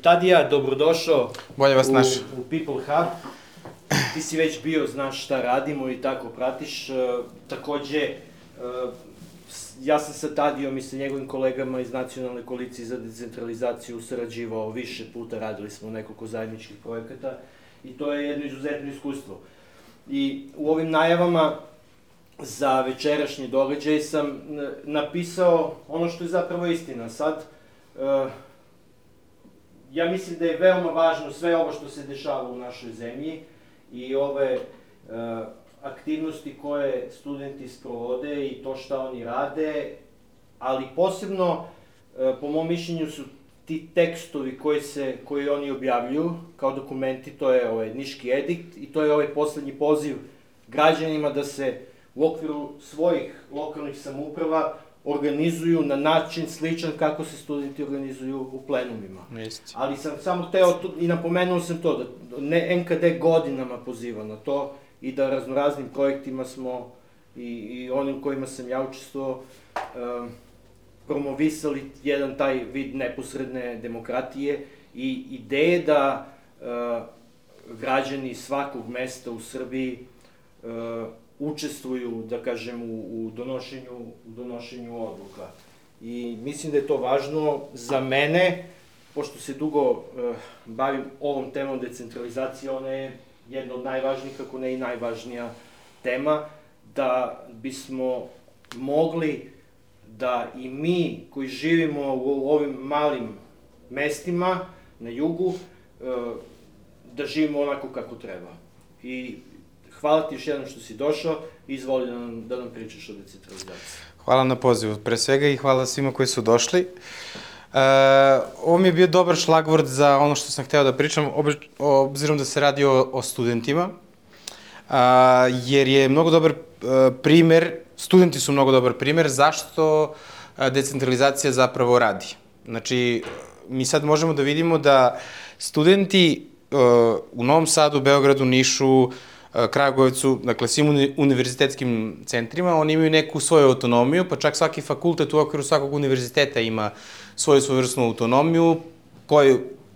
Tadija, dobrodošao Bolje vas našao. u People Hub. Ti si već bio, znaš šta radimo i tako pratiš. Takođe, ja sam sa Tadijom i sa njegovim kolegama iz Nacionalne koalicije za decentralizaciju sarađivao više puta, radili smo nekoliko zajedničkih projekata i to je jedno izuzetno iskustvo. I u ovim najavama za večerašnji događaj sam napisao ono što je zapravo istina. Sad, ja mislim da je veoma važno sve ovo što se dešava u našoj zemlji i ove aktivnosti koje studenti sprovode i to šta oni rade, ali posebno, po mom mišljenju, su ti tekstovi koji oni objavljuju kao dokumenti, to je ovaj Niški edikt i to je ovaj poslednji poziv građanima da se u okviru svojih lokalnih samouprava organizuju na način sličan kako se studenti organizuju u plenumima. Ali sam samo hteo, i napomenuo sam to, da NKD godinama poziva na to i da raznoraznim projektima smo i onim kojima sam ja učestvovao promovisali jedan taj vid neposredne demokratije i ideje da građani svakog mesta u Srbiji učestvuju, da kažem, u donošenju odluka. I mislim da je to važno za mene, pošto se dugo bavim ovom temom decentralizacije, ona je jedna od najvažnijih, ako ne i najvažnija tema, da bismo mogli da i mi koji živimo u ovim malim mestima na jugu, da živimo onako kako treba. I hvala ti još jednom što si došao i izvoli da nam pričaš o decentralizaciji. Hvala na pozivu, pre svega, i hvala svima koji su došli. Ovo mi je bio dobar šlagvord za ono što sam hteo da pričam, obzirom da se radi o studentima, jer je mnogo dobar primer, studenti su mnogo dobar primer zašto decentralizacija zapravo radi. Znači, mi sad možemo da vidimo da studenti u Novom Sadu, Beogradu, Nišu, Kragujevcu, dakle svim univerzitetskim centrima, oni imaju neku svoju autonomiju, pa čak svaki fakultet u okviru svakog univerziteta ima svoju svojevrsnu autonomiju,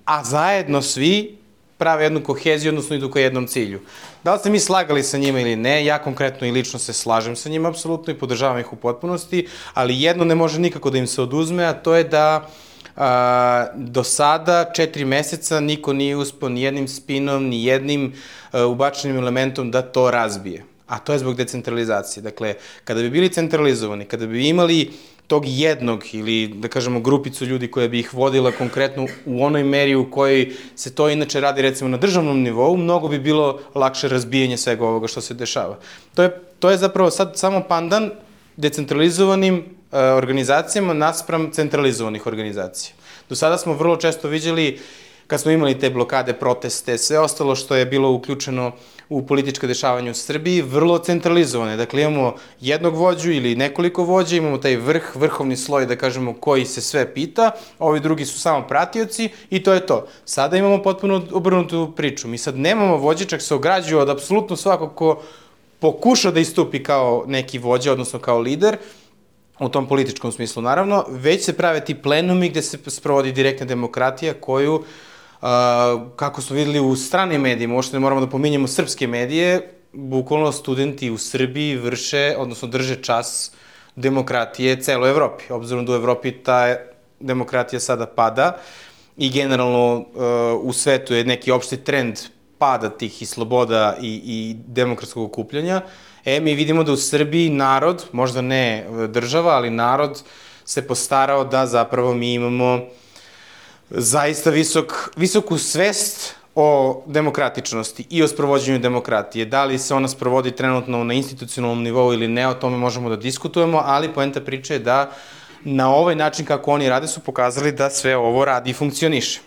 a zajedno svi prave jednu koheziju, odnosno idu ka jednom cilju. Da li ste mi slagali sa njima ili ne, ja konkretno i lično se slažem sa njima apsolutno i podržavam ih u potpunosti, ali jedno ne može nikako da im se oduzme, a to je da do sada 4 meseca niko nije uspeo ni jednim spinom, ni jednim ubačenim elementom da to razbije. A to je zbog decentralizacije. Dakle, kada bi bili centralizovani, kada bi imali tog jednog ili, da kažemo, grupicu ljudi koja bi ih vodila konkretno u onoj meri u kojoj se to inače radi, recimo, na državnom nivou, mnogo bi bilo lakše razbijanje svega ovoga što se dešava. To je zapravo sad samo pandan decentralizovanim organizacijama naspram centralizovanih organizacija. Do sada smo vrlo često viđali, kad smo imali te blokade, proteste, sve ostalo što je bilo uključeno u politička dešavanja u Srbiji, vrlo centralizovane. Dakle, imamo jednog vođu ili nekoliko vođa, imamo taj vrhovni sloj, da kažemo, koji se sve pita, ovi drugi su samo pratioci i to je to. Sada imamo potpuno obrnutu priču. Mi sad nemamo vođe, čak se ograđuju od apsolutno svakog ko pokuša da istupi kao neki vođa, odnosno kao lider, u tom političkom smislu, naravno, već se prave ti plenumi gde se sprovodi direktna demokratija koju, kako smo videli u stranim medijima, uopšte ne moramo da pominjemo srpske medije, bukvalno studenti u Srbiji vrše, odnosno drže čas demokratije celoj Evropi, obzirom da u Evropi ta demokratija sada pada i generalno u svetu je neki opšti trend pada tih i sloboda i demokratskog okupljanja. Mi vidimo da u Srbiji narod, možda ne država, ali narod se postarao da zapravo mi imamo zaista visoku svest o demokratičnosti i o sprovođenju demokratije. Da li se ona sprovodi trenutno na institucionalnom nivou ili ne, o tome možemo da diskutujemo, ali poenta priče je da na ovaj način kako oni rade su pokazali da sve ovo radi i funkcioniše.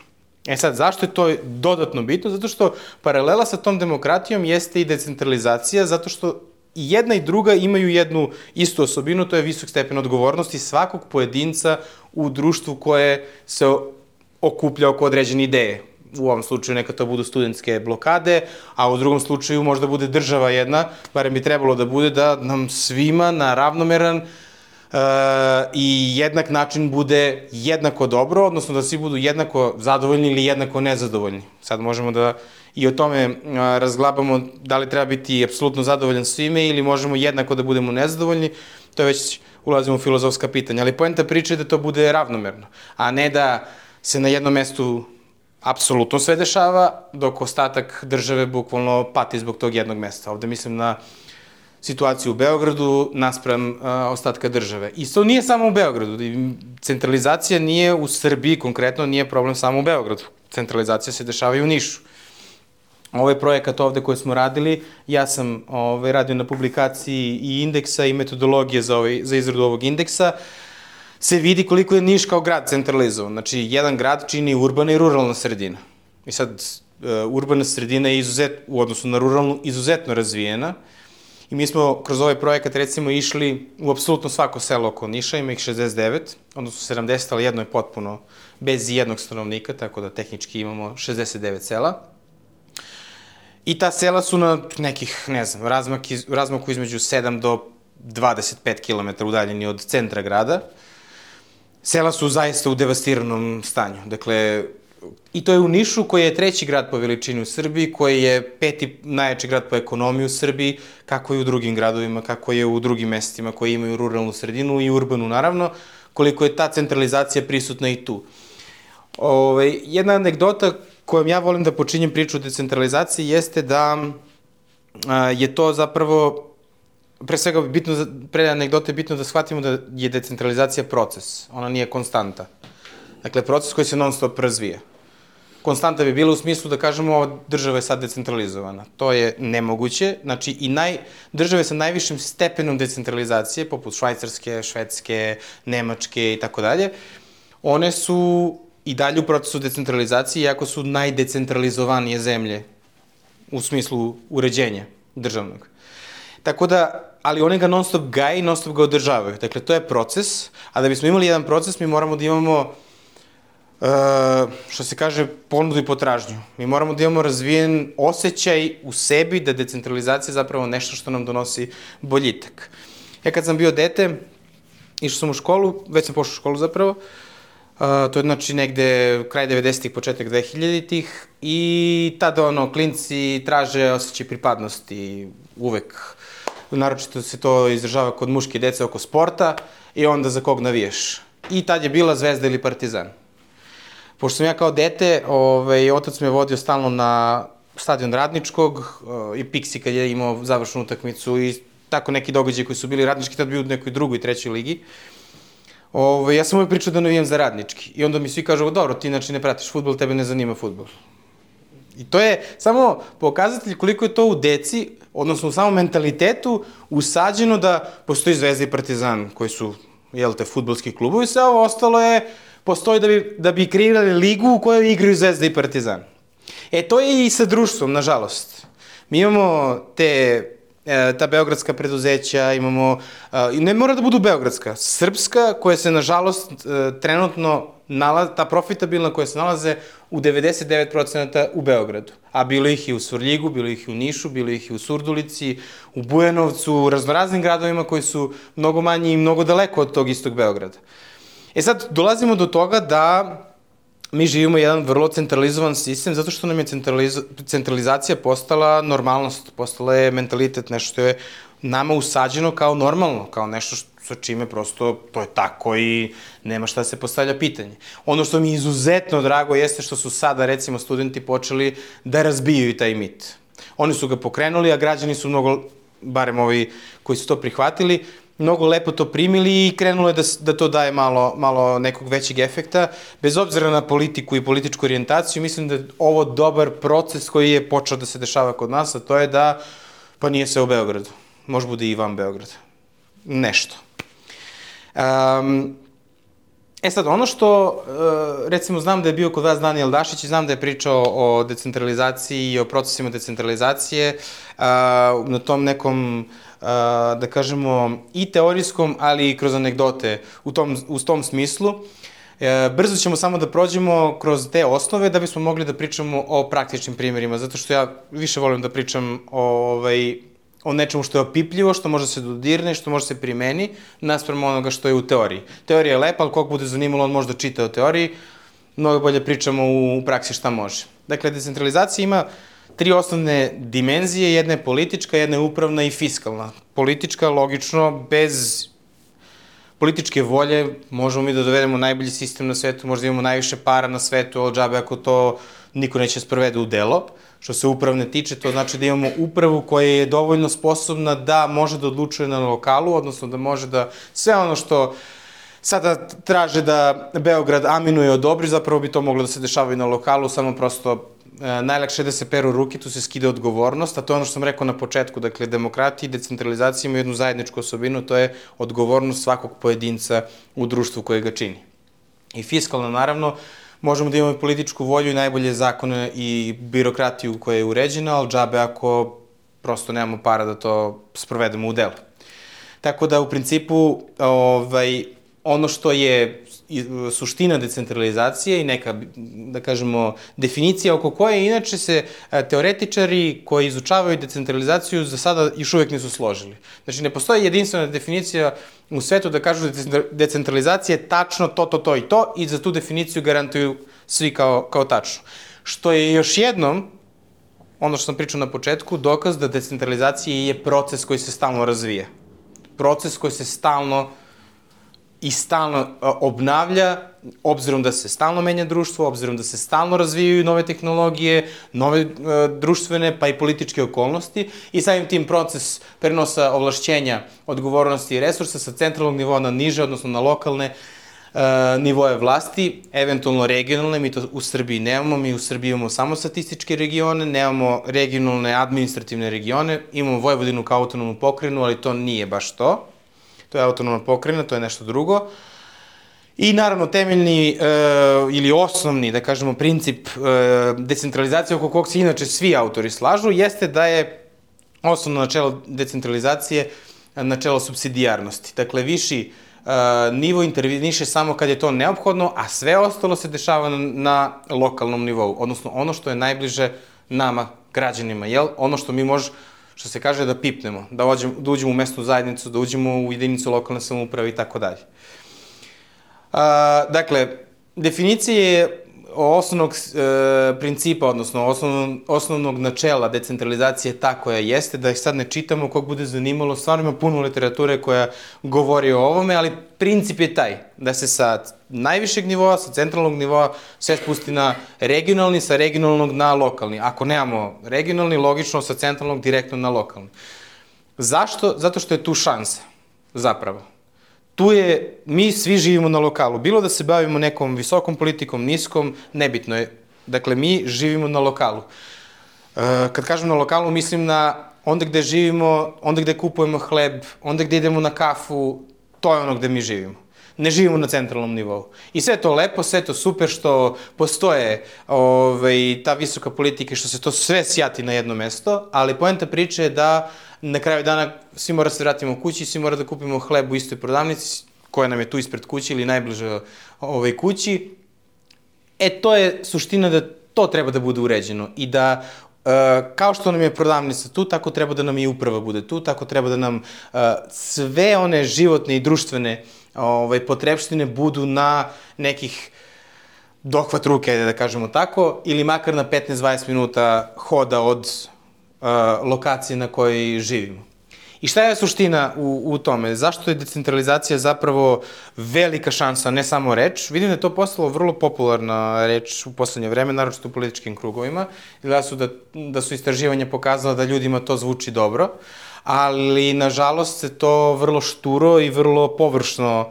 Sad, zašto je to dodatno bitno? Zato što paralela sa tom demokratijom jeste i decentralizacija, zato što i jedna i druga imaju jednu istu osobinu, to je visok stepen odgovornosti svakog pojedinca u društvu koje se okuplja oko određene ideje. U ovom slučaju neka to budu studentske blokade, a u drugom slučaju možda bude država jedna, barem bi trebalo da bude, da nam svima na ravnomeran i jednak način bude jednako dobro, odnosno da svi budu jednako zadovoljni ili jednako nezadovoljni. Sad možemo da i o tome razglabamo da li treba biti apsolutno zadovoljan svime ili možemo jednako da budemo nezadovoljni, to je već ulazimo u filozofska pitanja, ali poenta priče je da to bude ravnomerno, a ne da se na jednom mestu apsolutno sve dešava, dok ostatak države bukvalno pati zbog tog jednog mesta. Ovde mislim na situaciju u Beogradu naspram ostatka države. I to nije samo u Beogradu. Centralizacija nije u Srbiji, konkretno nije problem samo u Beogradu. Centralizacija se dešava i u Nišu. Ovaj projekat ovde koji smo radili, ja sam radio na publikaciji i indeksa i metodologije za izradu ovog indeksa, se vidi koliko je Niš kao grad centralizovan. Znači, jedan grad čini urbana i ruralna sredina. I sad, urbana sredina je u odnosu na ruralnu izuzetno razvijena. I mi smo kroz ovaj projekat recimo išli u apsolutno svako selo oko Niša, ima ih 69, odnosno 70, ali jedno je potpuno bez jednog stanovnika, tako da tehnički imamo 69 sela. I ta sela su na nekih, ne znam, razmaku između 7 do 25 km udaljeni od centra grada. Sela su zaista u devastiranom stanju. Dakle, i to je u Nišu, koji je treći grad po veličini u Srbiji, koji je peti najjači grad po ekonomiji u Srbiji, kako je u drugim gradovima, kako je u drugim mestima koji imaju ruralnu sredinu i urbanu, naravno, koliko je ta centralizacija prisutna i tu. Jedna anegdota kojom ja volim da počinjem priču o decentralizaciji jeste da je to zapravo, pre svega, pre anegdote je bitno da shvatimo da je decentralizacija proces, ona nije konstanta. Dakle, proces koji se non stop razvija. Konstanta bi bila u smislu da kažemo ova država je sad decentralizovana. To je nemoguće. Znači, i države sa najvišim stepenom decentralizacije, poput Švajcarske, Švedske, Nemačke i tako dalje, one su i dalje u procesu decentralizacije, iako su najdecentralizovanije zemlje u smislu uređenja državnog. Tako da, ali one ga non stop gaje i non stop ga održavaju. Dakle, to je proces, a da bismo imali jedan proces, mi moramo da imamo što se kaže, ponudu i potražnju. Mi moramo da imamo razvijen osjećaj u sebi da decentralizacija je zapravo nešto što nam donosi boljitak. Ja kad sam bio dete, išao sam u školu, već sam pošao u školu zapravo, to je znači negde kraj 90-ih, početak 2000-ih i tada klinci traže osjećaj pripadnosti uvek. Naročito se to izražava kod muške dece oko sporta i onda za kog navijaš. I tad je bila Zvezda ili Partizan. Pošto sam ja kao dete, otac me vodio stalno na stadion Radničkog i Pixi kad je imao završnu utakmicu i tako neki događaj koji su bili Radnički, tad bio u nekoj drugoj, trećoj ligi. Ja sam uvijek pričao da navijam za Radnički i onda mi svi kažu, dobro, ti znači ne pratiš fudbal, tebe ne zanima fudbal. I to je samo pokazatelj koliko je to u deci, odnosno u samom mentalitetu, usađeno da postoji Zvezda i Partizan koji su, fudbalski klubovi, sve ovo ostalo postoji da bi kreirali ligu u kojoj igraju Zvezda i Partizan. To je i sa društvom, nažalost. Mi imamo ta beogradska preduzeća, imamo, ne mora da budu beogradska, srpska, koja se, nažalost, trenutno, ta profitabilna koja se nalaze u 99% u Beogradu. A bilo ih i u Svrljigu, bilo ih i u Nišu, bilo ih i u Surdulici, u Bujanovcu, u raznoraznim gradovima koji su mnogo manji i mnogo daleko od tog istog Beograda. Sad, dolazimo do toga da mi živimo jedan vrlo centralizovan sistem zato što nam je centralizacija postala normalnost, postala je mentalitet, nešto što je nama usađeno kao normalno, kao nešto sa čime prosto to je tako i nema šta se postavlja pitanje. Ono što mi je izuzetno drago jeste što su sada, recimo, studenti počeli da razbijaju taj mit. Oni su ga pokrenuli, a građani su mnogo, barem ovi koji su to prihvatili, mnogo lepo to primili i krenulo je da to daje malo nekog većeg efekta. Bez obzira na politiku i političku orijentaciju, mislim da je ovo dobar proces koji je počeo da se dešava kod nas, a to je da, pa nije sve u Beogradu, može bude i van Beograda. Nešto. Sad, ono što, recimo, znam da je bio kod vas Danijel Dašić i znam da je pričao o decentralizaciji i o procesima decentralizacije na tom nekom, da kažemo, i teorijskom, ali i kroz anegdote u tom smislu. Brzo ćemo samo da prođemo kroz te osnove da bismo mogli da pričamo o praktičnim primjerima, zato što ja više volim da pričam o nečemu što je opipljivo, što može se dodirne, što može se primeni, naspram onoga što je u teoriji. Teorija je lepa, ali kog bude zanimalo, on može da čita o teoriji, mnogo bolje pričamo u praksi šta može. Dakle, decentralizacija ima 3 osnovne dimenzije, jedna je politička, jedna je upravna i fiskalna. Politička, logično, bez političke volje možemo mi da dovedemo najbolji sistem na svetu, možda imamo najviše para na svetu, ali džabe ako to niko neće sprovede u delo. Što se upravne tiče, to znači da imamo upravu koja je dovoljno sposobna da može da odlučuje na lokalu, odnosno da može da sve ono što sada traže da Beograd aminuje odobri, zapravo bi to moglo da se dešava i na lokalu, samo prosto najlakše je da se peru ruke, tu se skida odgovornost, a to je ono što sam rekao na početku, dakle, demokratija i decentralizacija imaju jednu zajedničku osobinu, to je odgovornost svakog pojedinca u društvu koje ga čini. I fiskalno, naravno, možemo da imamo i političku volju i najbolje zakone i birokratiju koja je uređena, ali džabe ako prosto nemamo para da to sprovedemo u delo. Tako da, u principu, ono što je suština decentralizacije i neka, da kažemo, definicija oko koje inače se teoretičari koji izučavaju decentralizaciju za sada još uvek nisu složili. Znači, ne postoji jedinstvena definicija u svetu da kažu da decentralizacija je tačno to i to i za tu definiciju garantuju svi kao tačno. Što je još jednom, ono što sam pričao na početku, dokaz da decentralizacija je proces koji se stalno razvija. Proces koji se stalno obnavlja, obzirom da se stalno menja društvo, obzirom da se stalno razvijaju nove tehnologije, nove društvene pa i političke okolnosti i samim tim proces prenosa ovlašćenja, odgovornosti i resursa sa centralnog nivoa na niže, odnosno na lokalne nivoje vlasti, eventualno regionalne, mi to u Srbiji nemamo, mi u Srbiji imamo samo statističke regione, nemamo regionalne administrativne regione, imamo Vojvodinu kao autonomnu pokrajinu, ali to nije baš to. To je autonomna pokrajina, to je nešto drugo. I naravno temeljni ili osnovni, da kažemo, princip decentralizacije oko kog se inače svi autori slažu, jeste da je osnovno načelo decentralizacije načelo supsidijarnosti. Dakle, viši nivo interveniše samo kad je to neophodno, a sve ostalo se dešava na lokalnom nivou, odnosno ono što je najbliže nama, građanima, jel? Ono što mi što se kaže da pipnemo, da uđemo u mesnu zajednicu, da uđemo u jedinicu lokalne samouprave i tako dalje. Dakle, definicije osnovnog principa, odnosno osnovnog načela decentralizacije ta koja jeste, da ih sad ne čitamo, kog bude zanimalo, stvarno ima puno literature koja govori o ovome, ali princip je taj, da se sa najvišeg nivoa, sa centralnog nivoa, sve spusti na regionalni, sa regionalnog na lokalni. Ako nemamo regionalni, logično sa centralnog direktno na lokalni. Zašto? Zato što je tu šansa, zapravo. Mi svi živimo na lokalu. Bilo da se bavimo nekom visokom politikom, niskom, nebitno je. Dakle, mi živimo na lokalu. Kad kažem na lokalu, mislim na onda gde živimo, onda gde kupujemo hleb, onda gde idemo na kafu, to je ono gde mi živimo. Ne živimo na centralnom nivou. I sve to lepo, sve to super što postoje ta visoka politika i što se to sve sjati na jedno mesto, ali poenta priče je da na kraju dana svi mora se vratimo kući, svi mora da kupimo hleb u istoj prodavnici koja nam je tu ispred kuće ili najbliže kući. To je suština da to treba da bude uređeno i da kao što nam je prodavnica tu, tako treba da nam i uprava bude tu, tako treba da nam sve one životne i društvene potrebštine budu na nekih dohvat ruke, da kažemo tako, ili makar na 15-20 minuta hoda od lokacije na kojoj živimo. I šta je suština u tome? Zašto je decentralizacija zapravo velika šansa, ne samo reč? Vidim da je to postalo vrlo popularna reč u poslednje vreme, naročito u političkim krugovima, da su istraživanja pokazala da ljudima to zvuči dobro, ali nažalost se to vrlo šturo i vrlo površno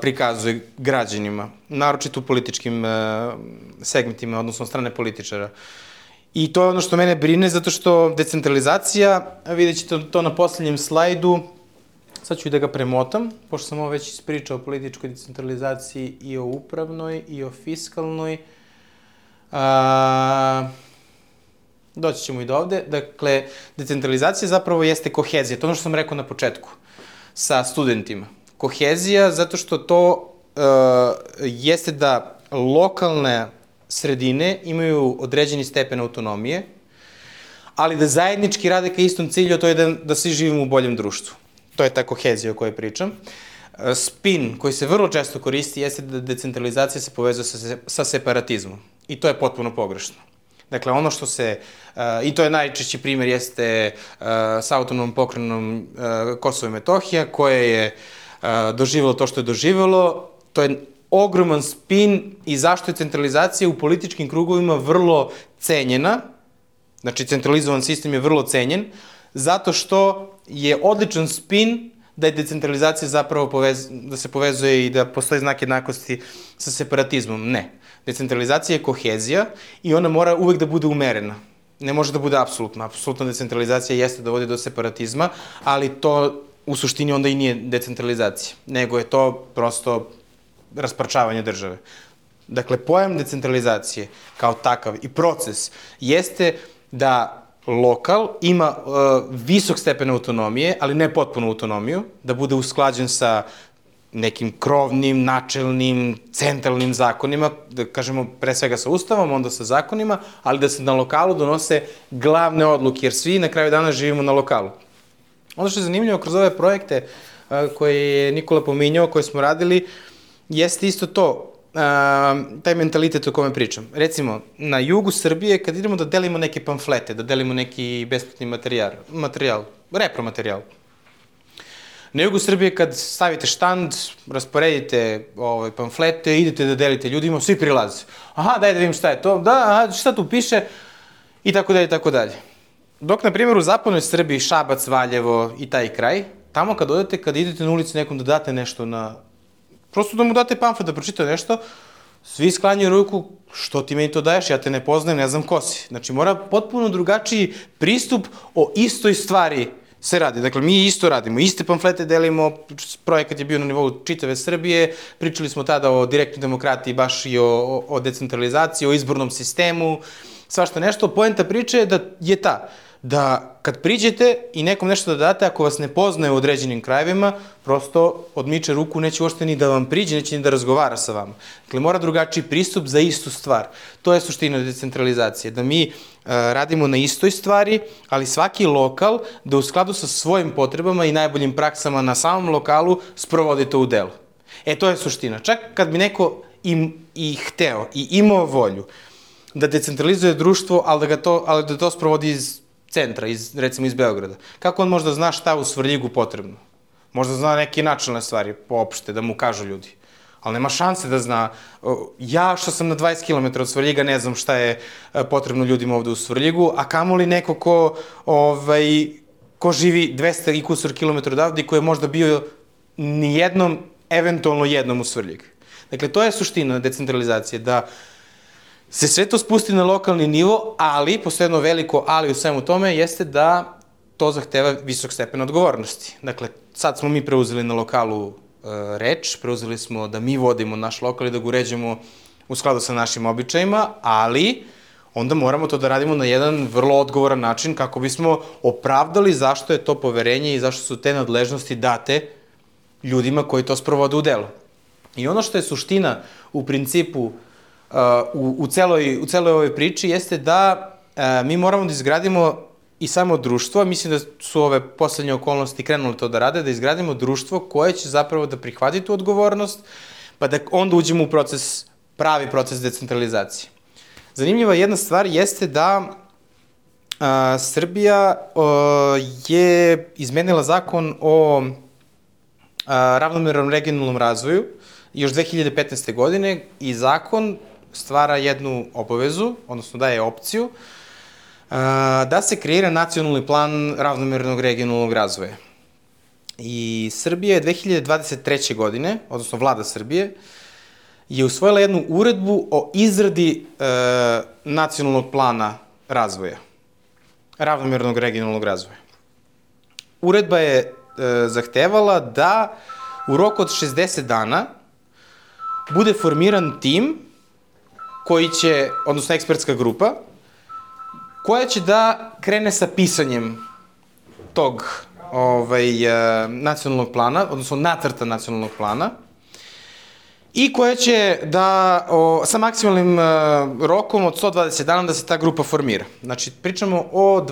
prikazuje građanima, naročito u političkim segmentima, odnosno strane političara. I to je ono što mene brine, zato što decentralizacija, vidjet ćete to na poslednjem slajdu, sad ću i da ga premotam, pošto sam ovo već ispričao o političkoj decentralizaciji i o upravnoj i o fiskalnoj. Doći ćemo i do ovde. Dakle, decentralizacija zapravo jeste kohezija, to ono što sam rekao na početku, sa studentima. Kohezija zato što to jeste da lokalne sredine imaju određeni stepen autonomije, ali da zajednički rade ka istom cilju, a to je da svi živimo u boljem društvu. To je ta kohezija o kojoj pričam. Spin koji se vrlo često koristi jeste da decentralizacija se povezuje sa separatizmom. I to je potpuno pogrešno. Dakle, ono što se, i to je najčešći primer, jeste sa autonomnom pokrajinom Kosovo i Metohija, koje je doživjelo to što je doživjelo. To je ogroman spin i zašto je centralizacija u političkim krugovima vrlo cenjena. Znači, centralizovan sistem je vrlo cenjen, zato što je odličan spin da je decentralizacija zapravo da se povezuje i da postoji znak jednakosti sa separatizmom. Ne. Decentralizacija je kohezija i ona mora uvek da bude umerena. Ne može da bude apsolutna. Apsolutna decentralizacija jeste da vodi do separatizma, ali to u suštini onda i nije decentralizacija, nego je to prosto rasparčavanje države. Dakle, pojam decentralizacije kao takav i proces jeste da lokal ima visok stepen autonomije, ali ne potpunu autonomiju, da bude usklađen sa nekim krovnim, načelnim, centralnim zakonima, da kažemo pre svega sa ustavom, onda sa zakonima, ali da se na lokalu donose glavne odluke, jer svi na kraju dana živimo na lokalu. Ono što je zanimljivo kroz ove projekte koje je Nikola pominjao, koje smo radili, jeste isto to, taj mentalitet o kome pričam. Recimo, na jugu Srbije, kad idemo da delimo neke pamflete, da delimo neki besplatni materijal, repromaterijal. Na jugu Srbije, kad stavite štand, rasporedite pamflete, idete da delite ljudima, svi prilaze. Aha, daj da vidim šta je to, da, šta tu piše, i tako dalje, i tako dalje. Dok, na primjer, u zapadnoj Srbiji, Šabac, Valjevo i taj kraj, tamo kad odete, kad idete na ulici nekom da date nešto prosto da mu date pamflet da pročita nešto, svi sklanjaju ruku, što ti meni to daješ, ja te ne poznajem, ne znam ko si. Znači, mora potpuno drugačiji pristup o istoj stvari se radi. Dakle, mi isto radimo, iste pamflete delimo, projekat je bio na nivou čitave Srbije, pričali smo tada o direktnoj demokratiji, baš i o decentralizaciji, o izbornom sistemu, svašta nešto. Poenta priče je da kad priđete i nekom nešto da date, ako vas ne poznaje u određenim krajevima, prosto odmiče ruku, neće uopšte ni da vam priđe, neće ni da razgovara sa vama. Dakle, mora drugačiji pristup za istu stvar. To je suština decentralizacije, da mi radimo na istoj stvari, ali svaki lokal da u skladu sa svojim potrebama i najboljim praksama na samom lokalu sprovodi to u delu. To je suština. Čak kad bi neko i hteo i imao volju da decentralizuje društvo, ali da to sprovodi iz centra, recimo iz Beograda. Kako on možda zna šta u Svrljigu potrebno? Možda zna neke načelne stvari, poopšte, da mu kažu ljudi. Ali nema šanse da zna. Ja što sam na 20 km od Svrljiga ne znam šta je potrebno ljudima ovde u Svrljigu, a kamoli neko ko živi 200 i kusur kilometra odavde i ko je možda bio nijednom, eventualno jednom u Svrljig. Dakle, to je suština decentralizacije, da se sve to spusti na lokalni nivo, ali, postoje jedno veliko ali u svemu tome, jeste da to zahteva visok stepen odgovornosti. Dakle, sad smo mi preuzeli na lokalu reč, preuzeli smo da mi vodimo naš lokal i da ga uređujemo u skladu sa našim običajima, ali onda moramo to da radimo na jedan vrlo odgovoran način kako bismo opravdali zašto je to poverenje i zašto su te nadležnosti date ljudima koji to sprovode u delo. I ono što je suština u principu u celoj ovoj priči jeste da mi moramo da izgradimo i samo društvo, mislim da su ove poslednje okolnosti krenule to da rade, da izgradimo društvo koje će zapravo da prihvati tu odgovornost, pa da onda uđemo u pravi proces decentralizacije. Zanimljiva jedna stvar jeste da Srbija je izmenila zakon o ravnomernom regionalnom razvoju još 2015. godine i zakon stvara jednu obavezu, odnosno daje opciju, da se kreira nacionalni plan ravnomernog regionalnog razvoja. I Srbija je 2023. godine, odnosno vlada Srbije, je usvojila jednu uredbu o izradi nacionalnog plana razvoja, ravnomernog regionalnog razvoja. Uredba je zahtevala da u roku od 60 dana bude formiran tim koji će, odnosno ekspertska grupa, koja će da krene sa pisanjem tog nacionalnog plana, odnosno nacrta nacionalnog plana. i koja će sa maksimalnim rokom od 120 dana da se ta grupa formira. Znači, pričamo o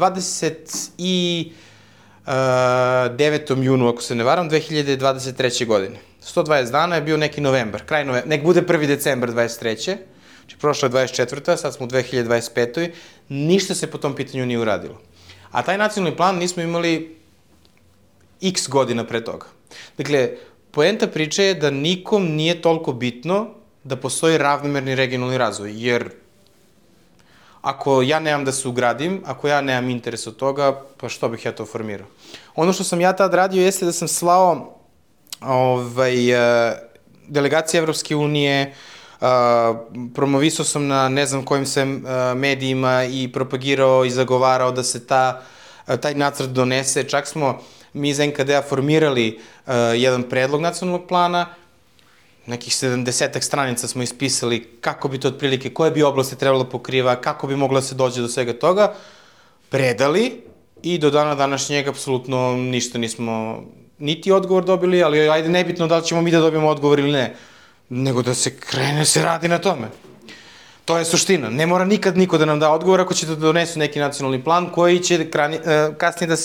29. junu, ako se ne varam, 2023. godine. 120 dana je bio neki novembar, kraj novembra, nek bude 1. decembar 23. Znači, prošla je 24. sad smo u 2025. Ništa se po tom pitanju nije uradilo. A taj nacionalni plan nismo imali x godina pre toga. Dakle, poenta priče je da nikom nije toliko bitno da postoji ravnomerni regionalni razvoj, jer ako ja nemam da se ugradim, ako ja nemam interes od toga, pa što bih ja to formirao? Ono što sam ja tad radio jeste da sam slao delegacije Evropske unije, promovisao sam na ne znam kojim se medijima i propagirao i zagovarao da se taj nacrt donese. Čak smo mi iz NKD-a formirali jedan predlog nacionalnog plana, nekih 70 stranica smo ispisali kako bi to otprilike, koje bi oblasti trebalo pokriva, kako bi moglo da se dođe do svega toga, predali i do dana današnjeg apsolutno ništa nismo, niti odgovor dobili, ali ajde nebitno da li ćemo mi da dobijemo odgovor ili ne, nego da se krene, se radi na tome. To je suština. Ne mora nikad niko da nam da odgovor ako će da donesu neki nacionalni plan koji će kasnije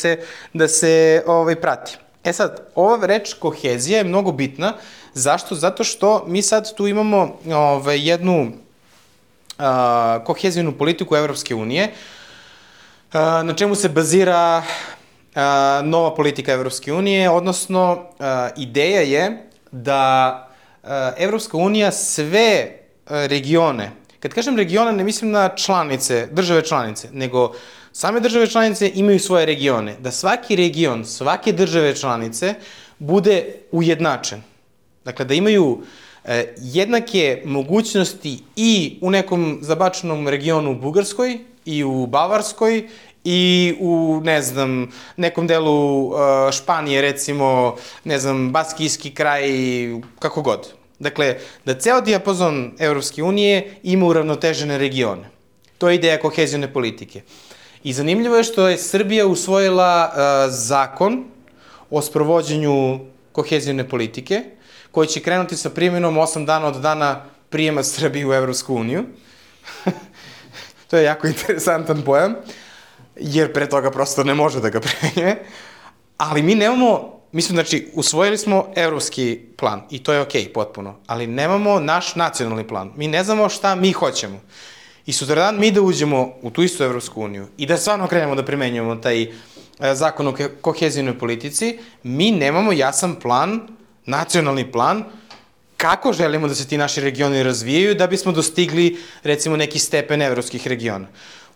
da se prati. E sad, ova reč kohezija je mnogo bitna. Zašto? Zato što mi sad tu imamo jednu kohezijnu politiku Evropske unije, na čemu se bazira nova politika Evropske unije, odnosno ideja je da Evropska unija sve regione, kad kažem regione ne mislim na članice, države članice, nego same države članice imaju svoje regione, da svaki region, svake države članice bude ujednačen. Dakle, da imaju jednake mogućnosti i u nekom zabačenom regionu u Bugarskoj, i u Bavarskoj, i u, ne znam, nekom delu Španije, recimo, ne znam, Baskijski kraj, kako god. Dakle, da ceo dijapazon Evropske unije ima uravnotežene regione. To je ideja kohezijone politike. I zanimljivo je što je Srbija usvojila zakon o sprovođenju kohezijone politike, koji će krenuti sa primjenom 8 dana od dana prijema Srbije u Evropsku uniju. To je jako interesantan pojam, jer pre toga prosto ne može da ga primenjuje. Ali mi nemamo, znači, usvojili smo evropski plan i to je okej, potpuno, ali nemamo naš nacionalni plan. Mi ne znamo šta mi hoćemo. I sutradan mi da uđemo u tu istu Evropsku uniju i da stvarno krenemo da primenjujemo taj zakon o kohezijnoj politici, mi nemamo jasan plan, nacionalni plan, kako želimo da se ti naši regioni razvijaju da bismo dostigli, recimo, neki stepen evropskih regiona.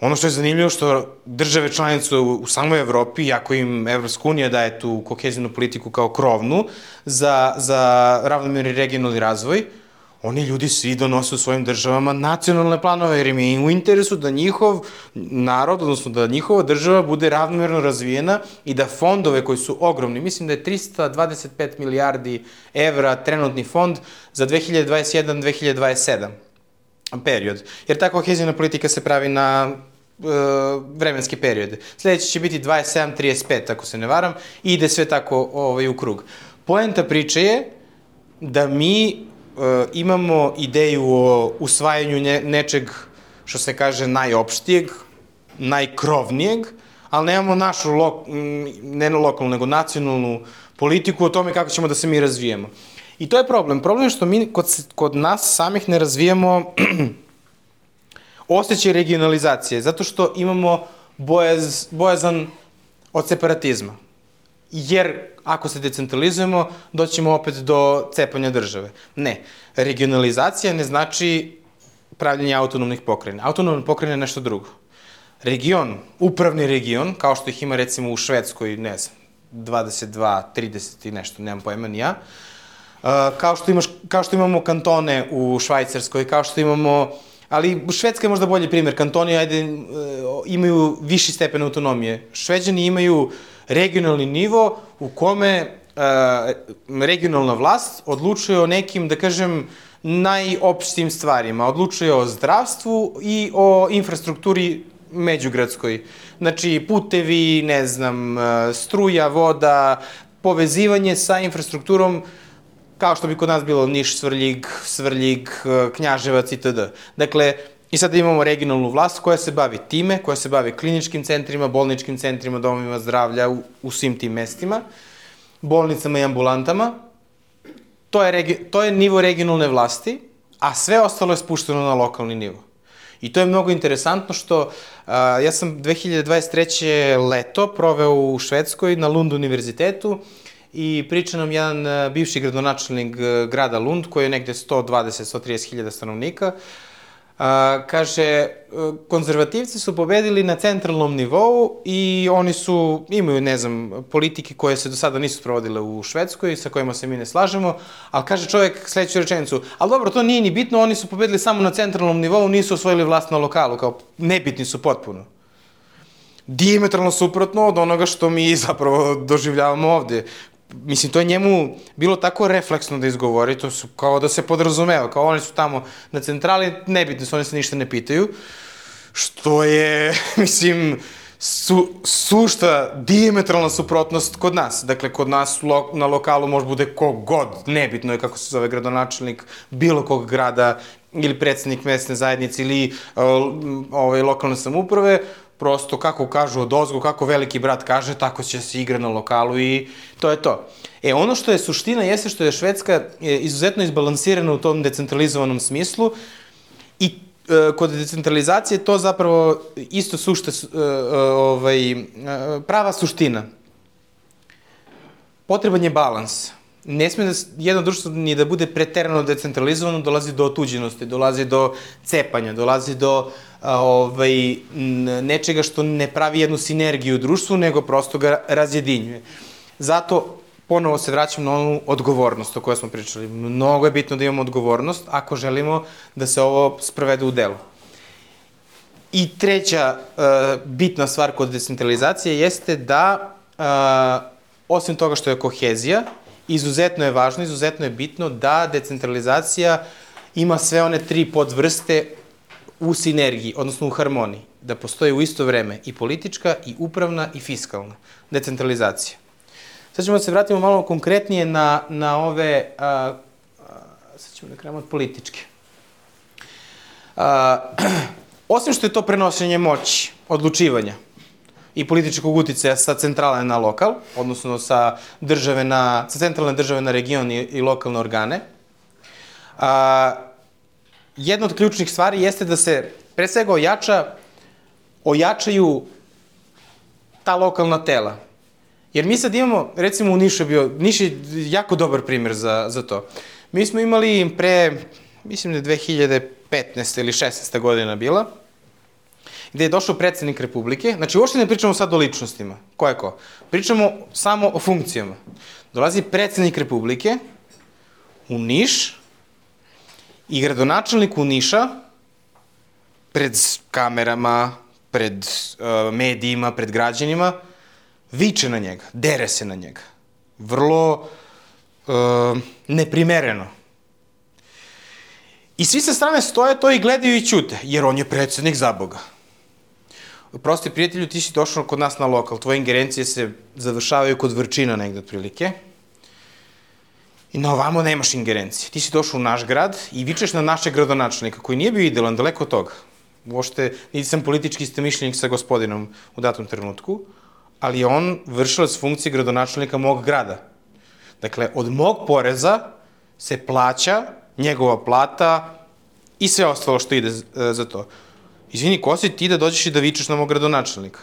Ono što je zanimljivo što države članice u samoj Evropi, iako im Evropska unija daje tu kohezijnu politiku kao krovnu za ravnomerni regionalni razvoj, oni ljudi svi donose u svojim državama nacionalne planove, jer im je u interesu da njihov narod, odnosno da njihova država bude ravnomerno razvijena i da fondove koji su ogromni, mislim da je 325 milijardi evra trenutni fond za 2021-2027 period, jer ta kohezijna politika se pravi na vremenske periode. Sledeći će biti 27-35, ako se ne varam, i ide sve tako u krug. Poenta priče je da mi imamo ideju o usvajanju nečeg, što se kaže, najopštijeg, najkrovnijeg, ali nemamo našu, ne lokalnu, nego nacionalnu politiku o tome kako ćemo da se mi razvijemo. I to je problem. Problem je što mi kod nas samih ne razvijamo osjećaj regionalizacije, zato što imamo bojazan od separatizma. Jer ako se decentralizujemo, doćemo opet do cepanja države. Ne. Regionalizacija ne znači pravljenje autonomnih pokrajina. Autonomna pokrajina je nešto drugo. Region, upravni region, kao što ih ima recimo u Švedskoj, ne znam, 22, 30 i nešto, nemam pojma ni ja, kao što imamo kantone u Švajcarskoj, kao što imamo, ali Švedska je možda bolji primjer, kantoni imaju viši stepen autonomije. Šveđani imaju regionalni nivo u kome regionalna vlast odlučuje o nekim, da kažem, najopštim stvarima. Odlučuje o zdravstvu i o infrastrukturi međugradskoj. Znači, putevi, ne znam, struja, voda, povezivanje sa infrastrukturom kao što bi kod nas bilo Niš, Svrljig, Knjaževac itd. Dakle, i sada imamo regionalnu vlast koja se bavi time, koja se bavi kliničkim centrima, bolničkim centrima, domovima zdravlja u svim tim mestima, bolnicama i ambulantama. To je nivo regionalne vlasti, a sve ostalo je spušteno na lokalni nivo. I to je mnogo interesantno što ja sam 2023. leto proveo u Švedskoj na Lund univerzitetu i priča nam jedan bivši gradonačelnik grada Lund, koji je negde 120-130 hiljada stanovnika. Kaže, konzervativci su pobedili na centralnom nivou i oni imaju, ne znam, politike koje se do sada nisu sprovodile u Švedskoj, sa kojima se mi ne slažemo, ali kaže čovjek sledeću rečenicu, ali dobro, to nije ni bitno, oni su pobedili samo na centralnom nivou, nisu osvojili vlast na lokalu, kao nebitni su potpuno. Diametralno suprotno od onoga što mi zapravo doživljavamo ovde. Mislim, to je njemu bilo tako refleksno da izgovori, to su kao da se podrazumeva, kao oni su tamo na centrali, nebitni su, oni se ništa ne pitaju, što je, mislim, sušta, diametralna suprotnost kod nas. Dakle, kod nas na lokalu može bude kogod, nebitno je kako se zove gradonačelnik bilo kog grada ili predsednik mesne zajednice ili lokalne samouprave, prosto kako kažu odozgo, kako veliki brat kaže, tako će se igra na lokalu i to je to. Ono što je suština jeste što je Švedska izuzetno izbalansirana u tom decentralizovanom smislu i kod decentralizacije to zapravo isto prava suština. Potreban je balans. Ne sme jedno društvo ni da bude preterano decentralizovano, dolazi do otuđenosti, dolazi do cepanja, dolazi do nečega što ne pravi jednu sinergiju u društvu, nego prosto ga razjedinjuje. Zato ponovo se vraćam na onu odgovornost o kojoj smo pričali. Mnogo je bitno da imamo odgovornost ako želimo da se ovo sprovede u delu. I treća bitna stvar kod decentralizacije jeste da, osim toga što je kohezija, izuzetno je važno, izuzetno je bitno da decentralizacija ima sve one 3 podvrste u sinergiji, odnosno u harmoniji. Da postoji u isto vreme i politička, i upravna, i fiskalna decentralizacija. Sad ćemo da se vratimo malo konkretnije na ove, sad ćemo da krenemo od političke. Osim što je to prenošenje moći, odlučivanja i političkog uticaja sa centrale na lokal, odnosno sa centralne države na region i lokalne organe, jedna od ključnih stvari jeste da se pre svega ojačaju ta lokalna tela. Jer mi sad imamo, recimo u Nišu Niš je jako dobar primer za to. Mi smo imali mislim da je 2015. ili 16. godina bila, gde je došao predsednik Republike, znači uopšte ne pričamo sad o ličnostima, ko je ko, pričamo samo o funkcijama. Dolazi predsednik Republike u Niš i gradonačelnik u Niša pred kamerama, pred medijima, pred građanima, viče na njega, dere se na njega. Vrlo neprimereno. I svi sa strane stoje to i gledaju i ćute, jer on je predsednik za Boga. Prosti prijatelju, ti si došao kod nas na lokal, tvoje ingerencije se završavaju kod Vrčina negde otprilike. I na ovamo nemaš ingerencije. Ti si došao u naš grad i vičeš na našeg gradonačelnika, koji nije bio idealan, daleko od toga. Uopšte, nisam politički istomišljenik sa gospodinom u datom trenutku, ali je on vršilac funkcije gradonačelnika mog grada. Dakle, od mog poreza se plaća njegova plata i sve ostalo što ide za to. Izvini, ko si ti da dođeš i da vičeš na mog gradonačelnika?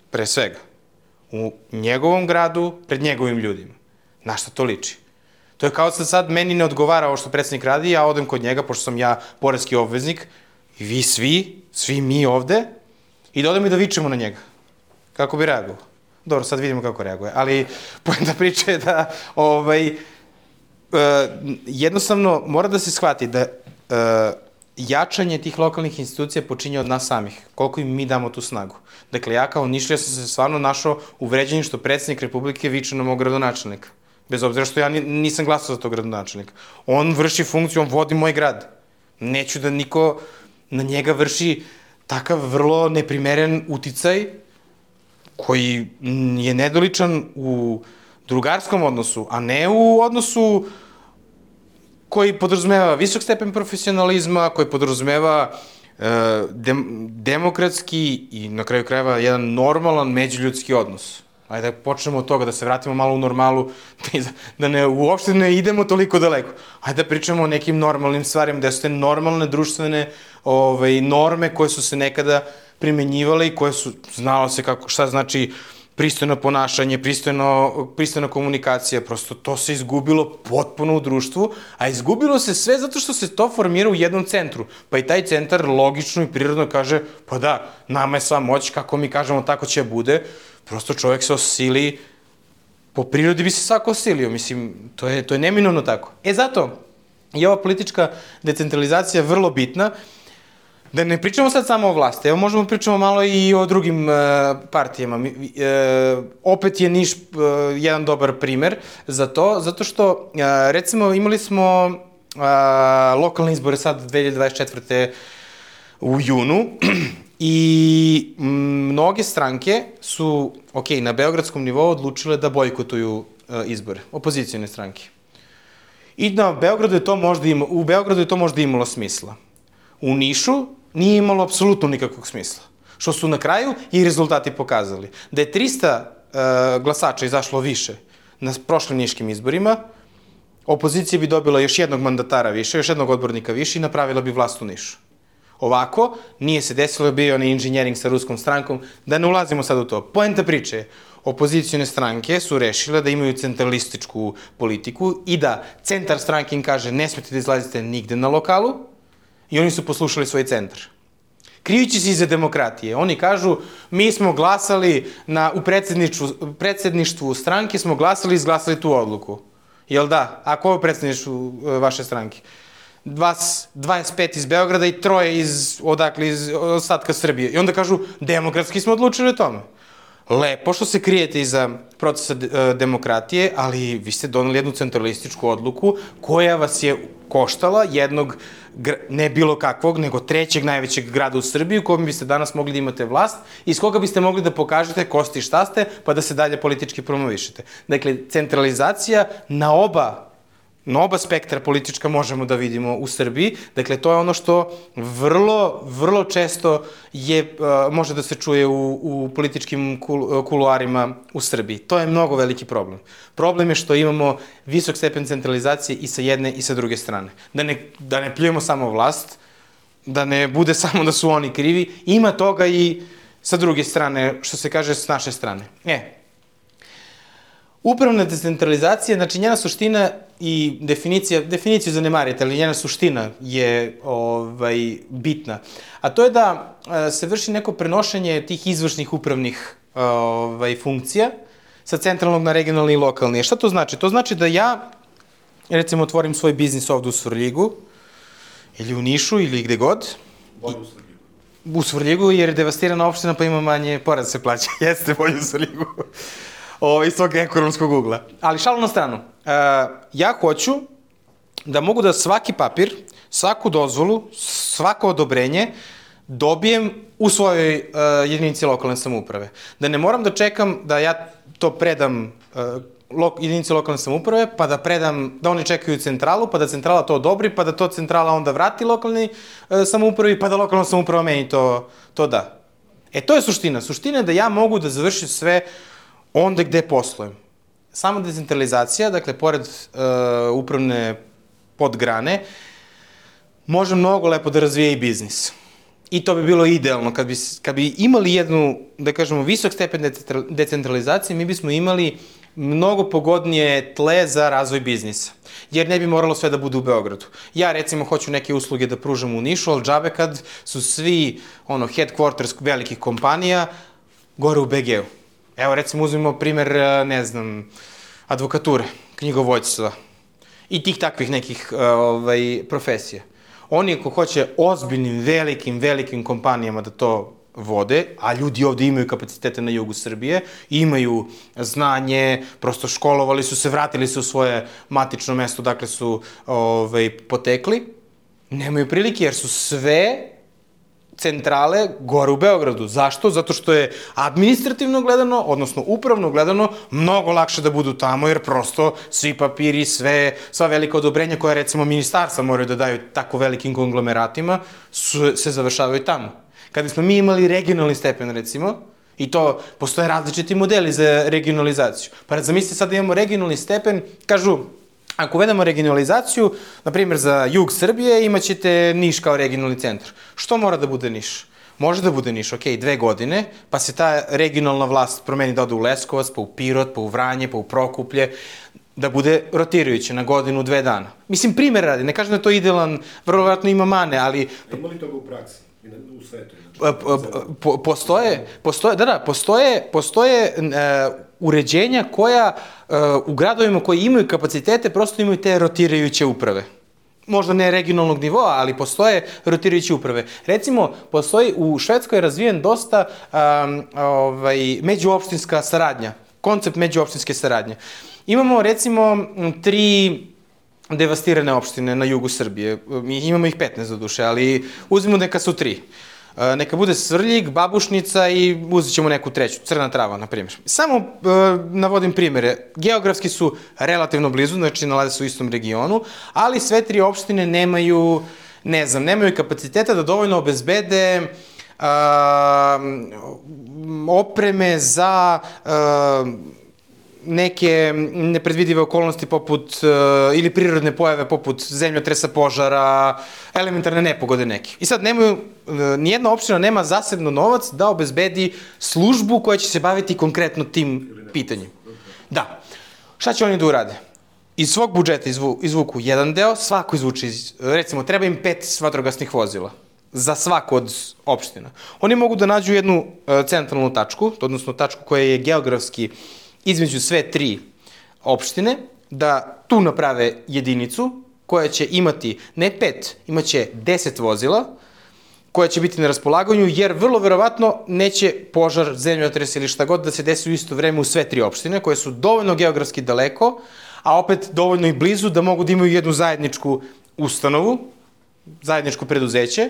Pre svega. U njegovom gradu, pred njegovim ljudima. Na šta to liči? To je kao da sad meni ne odgovara ovo što predsednik radi, ja odem kod njega, pošto sam ja poreski obveznik, i vi svi mi ovde, i da odem i da vičemo na njega. Kako bi reagovao? Dobro, sad vidimo kako reaguje, ali poenta priče je da jednostavno mora da se shvati da jačanje tih lokalnih institucija počinje od nas samih, koliko im mi damo tu snagu. Dakle, ja kao Nišlija sam se stvarno našao uvređenim što predsednik Republike viče na mog gradonačelnika. Bez obzira što ja nisam glasao za tog gradonačelnika. On vrši funkciju, on vodi moj grad. Neću da niko na njega vrši takav vrlo neprimeren uticaj koji je nedoličan u drugarskom odnosu, a ne u odnosu koji podrazumeva visok stepen profesionalizma, koji podrazumeva demokratski i na kraju krajeva jedan normalan međuljudski odnos. Ajde da počnemo od toga, da se vratimo malo u normalu, da uopšte ne idemo toliko daleko. Ajde da pričamo o nekim normalnim stvarima, da su te normalne društvene norme koje su se nekada primenjivale i koje su, znalo se šta znači pristojno ponašanje, pristojna komunikacija, prosto to se izgubilo potpuno u društvu, a izgubilo se sve zato što se to formira u jednom centru. Pa i taj centar logično i prirodno kaže, pa da, nama je sva moć, kako mi kažemo, tako će bude, prosto čovjek se osili, po prirodi bi se svako osilio, mislim, to je neminovno tako. Zato je ova politička decentralizacija vrlo bitna, da ne pričamo sad samo o vlasti, evo možemo pričamo malo i o drugim partijama. Opet je Niš jedan dobar primer za to, zato što, recimo, imali smo lokalne izbore sad 2024. u junu i mnoge stranke su, na beogradskom nivou odlučile da bojkotuju izbore, opozicijone stranke. I u Beogradu je to možda imalo smisla. U Nišu nije imalo apsolutno nikakvog smisla. Što su na kraju i rezultati pokazali. Da je 300 glasača izašlo više na prošlim niškim izborima, opozicija bi dobila još jednog mandatara više, još jednog odbornika više i napravila bi vlast u Nišu. Ovako, nije se desilo, bio onaj inženjering sa ruskom strankom, da ne ulazimo sad u to. Poenta priče je, opozicijone stranke su rešile da imaju centralističku politiku i da centar stranke im kaže ne smete da izlazite nigde na lokalu, i oni su poslušali svoj centar. Krijući se iza demokratije, oni kažu, mi smo glasali u predsedništvu stranke, smo glasali i izglasali tu odluku. Jel da? A ko je u predsedništvu vaše stranke? 25 iz Beograda i 3 iz ostatka Srbije. I onda kažu, demokratski smo odlučili o tome. Lepo što se krijete iza procesa demokratije, ali vi ste doneli jednu centralističku odluku koja vas je koštala jednog, ne bilo kakvog, nego trećeg najvećeg grada u Srbiji u kojem biste danas mogli da imate vlast i iz koga biste mogli da pokažete ko ste i šta ste, pa da se dalje politički promovišete. Dakle, centralizacija na oba spektra politička možemo da vidimo u Srbiji. Dakle, to je ono što vrlo često može da se čuje u političkim kuluarima u Srbiji. To je mnogo veliki problem. Problem je što imamo visok stepen centralizacije i sa jedne i sa druge strane. Da ne pljujemo samo vlast, da ne bude samo da su oni krivi, ima toga i sa druge strane, što se kaže, s naše strane. Upravna decentralizacija, znači njena suština i definiciju zanemarite, ali njena suština je bitna. A to je da se vrši neko prenošenje tih izvršnih upravnih funkcija sa centralnog na regionalni i lokalni. Šta to znači? To znači da ja, recimo, otvorim svoj biznis ovde u Svrljigu, ili u Nišu, ili gde god. Bolje u Svrljigu. U Svrljigu, jer je devastirana opština, pa ima manje porez se plaća. Jeste bolje u Svrljigu. Iz tog ekonomskog ugla. Ali šalu na stranu. Ja hoću da mogu da svaki papir, svaku dozvolu, svako odobrenje dobijem u svojoj jedinici lokalne samouprave. Da ne moram da čekam da ja to predam jedinici lokalne samouprave, pa da predam, da oni čekaju centralu, pa da centrala to odobri, pa da to centrala onda vrati lokalni samoupravi, pa da lokalna samouprava meni to da. To je suština. Suština je da ja mogu da završim sve onda gde poslujem. Sama decentralizacija, dakle, pored upravne podgrane, može mnogo lepo da razvije i biznis. I to bi bilo idealno. Kad bi imali jednu, da kažemo, visok stepen decentralizacije, mi bismo imali mnogo pogodnije tle za razvoj biznisa. Jer ne bi moralo sve da bude u Beogradu. Ja, recimo, hoću neke usluge da pružam u Nišu, ali džabe kad su svi, headquarters velikih kompanija gore u BG-u. Evo, recimo, uzmimo primer, ne znam, advokature, knjigovođstva i tih takvih nekih profesija. Oni, ako hoće ozbiljnim, velikim kompanijama da to vode, a ljudi ovde imaju kapacitete na jugu Srbije, imaju znanje, prosto školovali su se, vratili se u svoje matično mesto, dakle su potekli, nemaju prilike jer su sve centrale gore u Beogradu. Zašto? Zato što je administrativno gledano, odnosno upravno gledano, mnogo lakše da budu tamo, jer prosto svi papiri, sva velika odobrenja koja recimo ministarstva moraju da daju tako velikim konglomeratima, se završavaju tamo. Kada smo mi imali regionalni stepen, recimo, i to postoje različiti modeli za regionalizaciju. Pa zamislite sad da imamo regionalni stepen, kažu, ako uvedemo regionalizaciju, na primjer za jug Srbije, imaćete Niš kao regionalni centar. Što mora da bude Niš? Može da bude Niš, 2 godine, pa se ta regionalna vlast promeni da ode u Leskovac, pa u Pirot, pa u Vranje, pa u Prokuplje, da bude rotirajuće na godinu, 2 dana. Mislim, primjer radi, ne kažem da je to idealan, vrlo vjerojatno ima mane, ali... Ima li toga u praksi, u svetu? Postoje uređenja koja u gradovima koji imaju kapacitete prosto imaju te rotirajuće uprave. Možda ne regionalnog nivoa, ali postoje rotirajuće uprave. Recimo, postoji u Švedskoj razvijen dosta međuopštinska saradnja, koncept međuopštinske saradnje. Imamo recimo 3 devastirane opštine na jugu Srbije. Imamo ih 15 do duše, ali uzmimo neka su 3. Neka bude Svrljig, Babušnica i uzet ćemo neku treću, Crna Trava, na primjer. Samo navodim primjere. Geografski su relativno blizu, znači nalaze se u istom regionu, ali sve 3 opštine nemaju kapaciteta da dovoljno obezbede opreme za neke nepredvidive okolnosti poput, ili prirodne pojave poput zemljotresa, požara, elementarne nepogode neke. I sad nijedna opština nema zasebno novac da obezbedi službu koja će se baviti konkretno tim pitanjem. Da. Šta će oni da urade? Iz svog budžeta izvuku jedan deo, svako izvuče, recimo, treba im 5 vatrogasnih vozila za svaku od opština. Oni mogu da nađu jednu centralnu tačku, odnosno tačku koja je geografski između sve 3 opštine, da tu naprave jedinicu koja će imati ne 5, imaće 10 vozila koja će biti na raspolaganju, jer vrlo verovatno neće požar, zemljotres ili šta god da se desi u isto vreme u sve 3 opštine, koje su dovoljno geografski daleko, a opet dovoljno i blizu da mogu da imaju jednu zajedničku ustanovu, zajedničko preduzeće,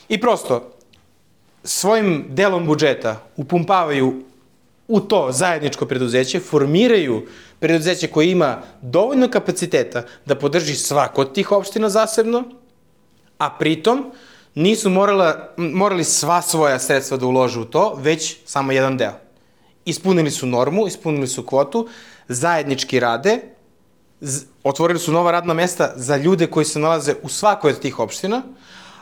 i prosto svojim delom budžeta upumpavaju u to zajedničko preduzeće, formiraju preduzeće koje ima dovoljno kapaciteta da podrži svako od tih opština zasebno, a pritom nisu morali sva svoja sredstva da ulože u to, već samo jedan deo. Ispunili su normu, ispunili su kvotu, zajednički rade, otvorili su nova radna mesta za ljude koji se nalaze u svakoj od tih opština,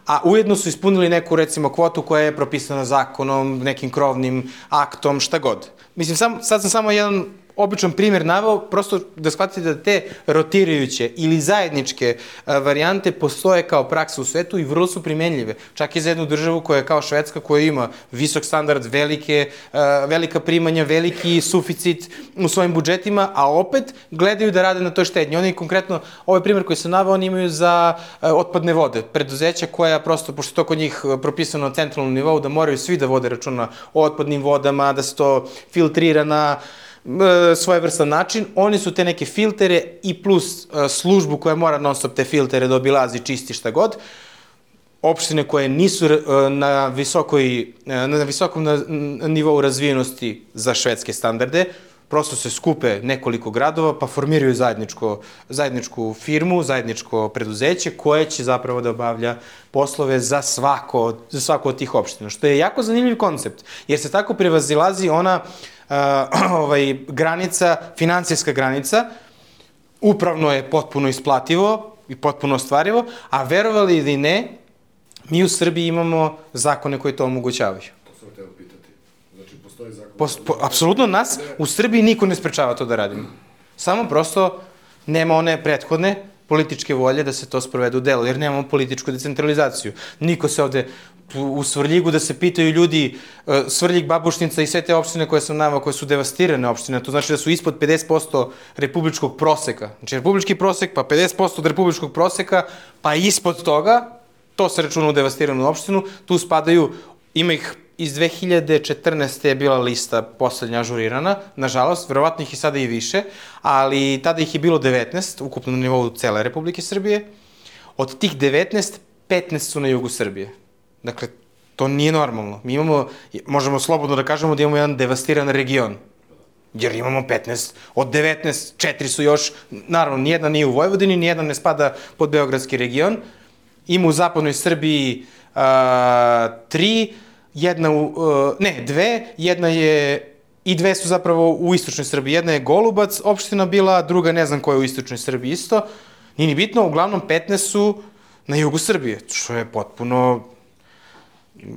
a ujedno su ispunili neku, recimo, kvotu koja je propisana zakonom, nekim krovnim aktom, šta god. Mislim, sad sam samo jedan običan primjer naveo, prosto da shvatite da te rotirajuće ili zajedničke varijante postoje kao praksa u svetu i vrlo su primenljive. Čak i za jednu državu koja je kao Švedska, koja ima visok standard, velika primanja, veliki suficit u svojim budžetima, a opet gledaju da rade na toj štednji. Oni konkretno, ovaj primjer koji sam naveo, oni imaju za otpadne vode. Preduzeća koja prosto, pošto to kod njih propisano na centralnom nivou, da moraju svi da vode računa o otpadnim vodama, da se to filtrira na svojevrstan način, oni su te neke filtere i plus službu koja mora non stop te filtere da obilazi, čisti, šta god. Opštine koje nisu na visokom nivou razvijenosti za švedske standarde, prosto se skupe nekoliko gradova pa formiraju zajedničku firmu, zajedničko preduzeće koje će zapravo da obavlja poslove za svako od tih opština, što je jako zanimljiv koncept, jer se tako prevazilazi ona granica, finansijska granica, upravno je potpuno isplativo i potpuno ostvarivo, a verovali ili ne, mi u Srbiji imamo zakone koji to omogućavaju. To sam hteo pitati. Znači, postoji zakon? Apsolutno nas u Srbiji niko ne sprečava to da radimo. Samo prosto nema one prethodne političke volje da se to sprovede u delo, jer nemamo političku decentralizaciju. Niko se ovde u Svrljigu da se pitaju ljudi, Svrljig, Babušnica i sve te opštine koje sam naveo, koje su devastirane opštine, to znači da su ispod 50% republičkog proseka. Znači republički prosek, pa 50% od republičkog proseka, pa ispod toga, to se računa u devastiranu opštinu, tu spadaju, ima ih iz 2014. je bila lista poslednja ažurirana, nažalost, verovatno ih je sada i više, ali tada ih je bilo 19, ukupno na nivou cele Republike Srbije. Od tih 19, 15 su na jugu Srbije. Dakle, To nije normalno. Mi imamo, možemo slobodno da kažemo da imamo jedan devastiran region. Jer imamo 15, od 19, 4 su još, naravno, nijedna nije u Vojvodini, nijedna ne spada pod Beogradski region. Ima u zapadnoj Srbiji 3, dve, jedna je, i dve su zapravo u istočnoj Srbiji. Jedna je Golubac opština bila, druga ne znam koja je u istočnoj Srbiji isto. Nije ni bitno, uglavnom 15 su na jugu Srbije, što je potpuno,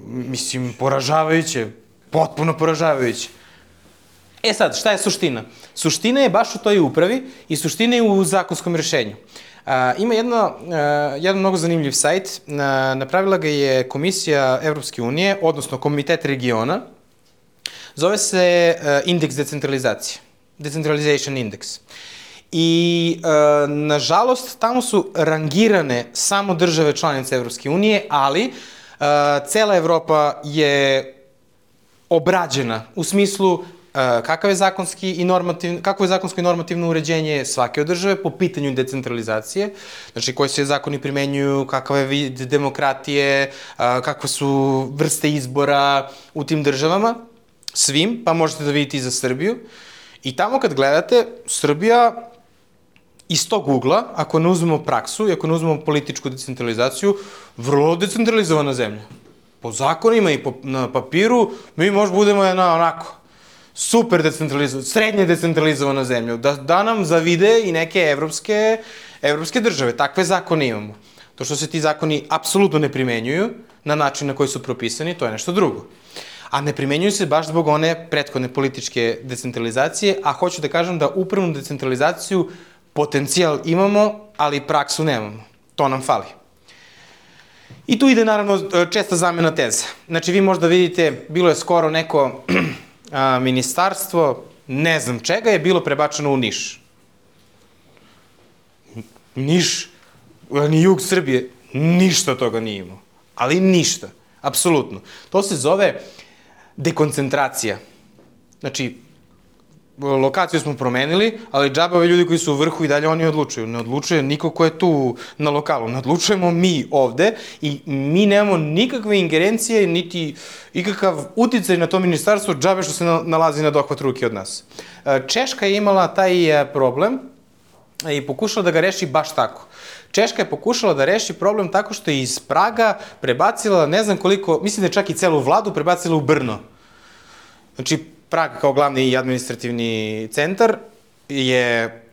mislim, poražavajuće, potpuno poražavajuće. E sad, šta je suština? Suština je baš u toj upravi i suština je u zakonskom rešenju. Ima jedan mnogo zanimljiv sajt, napravila ga je Komisija Evropske unije, odnosno Komitet regiona, zove se Indeks decentralizacije, Decentralization Index. I, nažalost, tamo su rangirane samo države članice Evropske unije, ali cela Evropa je obrađena u smislu kakvo je zakonsko i normativno uređenje svake od države po pitanju decentralizacije, znači koji se zakoni primenjuju, kakav je vid demokratije, kakve su vrste izbora u tim državama, svim, pa možete da vidite i za Srbiju. I tamo kad gledate, Srbija iz tog ugla, ako ne uzmemo praksu i ako ne uzmemo političku decentralizaciju, vrlo decentralizovana zemlja. Po zakonima i na papiru mi možda budemo jedna onako super decentralizovana, srednje decentralizovana zemlja, da nam zavide i neke evropske države. Takve zakone imamo. To što se ti zakoni apsolutno ne primenjuju na način na koji su propisani, to je nešto drugo. A ne primenjuju se baš zbog one prethodne političke decentralizacije, a hoću da kažem da upravnu decentralizaciju potencijal imamo, ali praksu nemamo. To nam fali. I tu ide, naravno, česta zamena teza. Znači, vi možda vidite, bilo je skoro neko ministarstvo, ne znam čega, je bilo prebačeno u Niš. Niš, ni jug Srbije, ništa toga nije imao. Ali ništa, apsolutno. To se zove dekoncentracija. Znači, lokaciju smo promenili, ali džabave ljudi koji su u vrhu i dalje oni odlučuju. Ne odlučuje niko ko je tu na lokalu. Ne odlučujemo mi ovde i mi nemamo nikakve ingerencije, niti ikakav uticaj na to ministarstvo džabe što se nalazi na dohvat ruke od nas. Češka je imala taj problem i pokušala da ga reši baš tako. Češka je pokušala da reši problem tako što je iz Praga prebacila, ne znam koliko, mislim da je čak i celu vladu prebacila u Brno. Znači, Prag kao glavni i administrativni centar je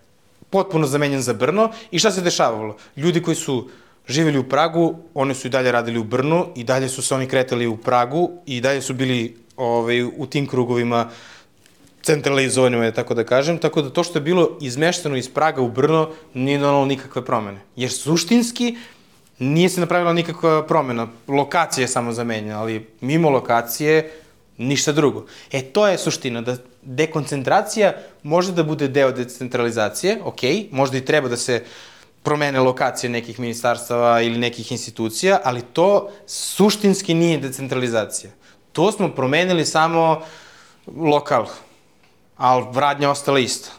potpuno zamenjen za Brno i šta se dešavalo? Ljudi koji su živjeli u Pragu, oni su i dalje radili u Brnu i dalje su se oni kretali u Pragu i dalje su bili u tim krugovima centralizovanima, tako da kažem, tako da to što je bilo izmešteno iz Praga u Brno nije donalo nikakve promene. Jer suštinski nije se napravila nikakva promena. Lokacija je samo zamenjena, ali mimo lokacije ništa drugo. To je suština, da dekoncentracija može da bude deo decentralizacije, možda i treba da se promene lokacije nekih ministarstava ili nekih institucija, ali to suštinski nije decentralizacija. To smo promenili samo lokal, ali radnja ostala ista.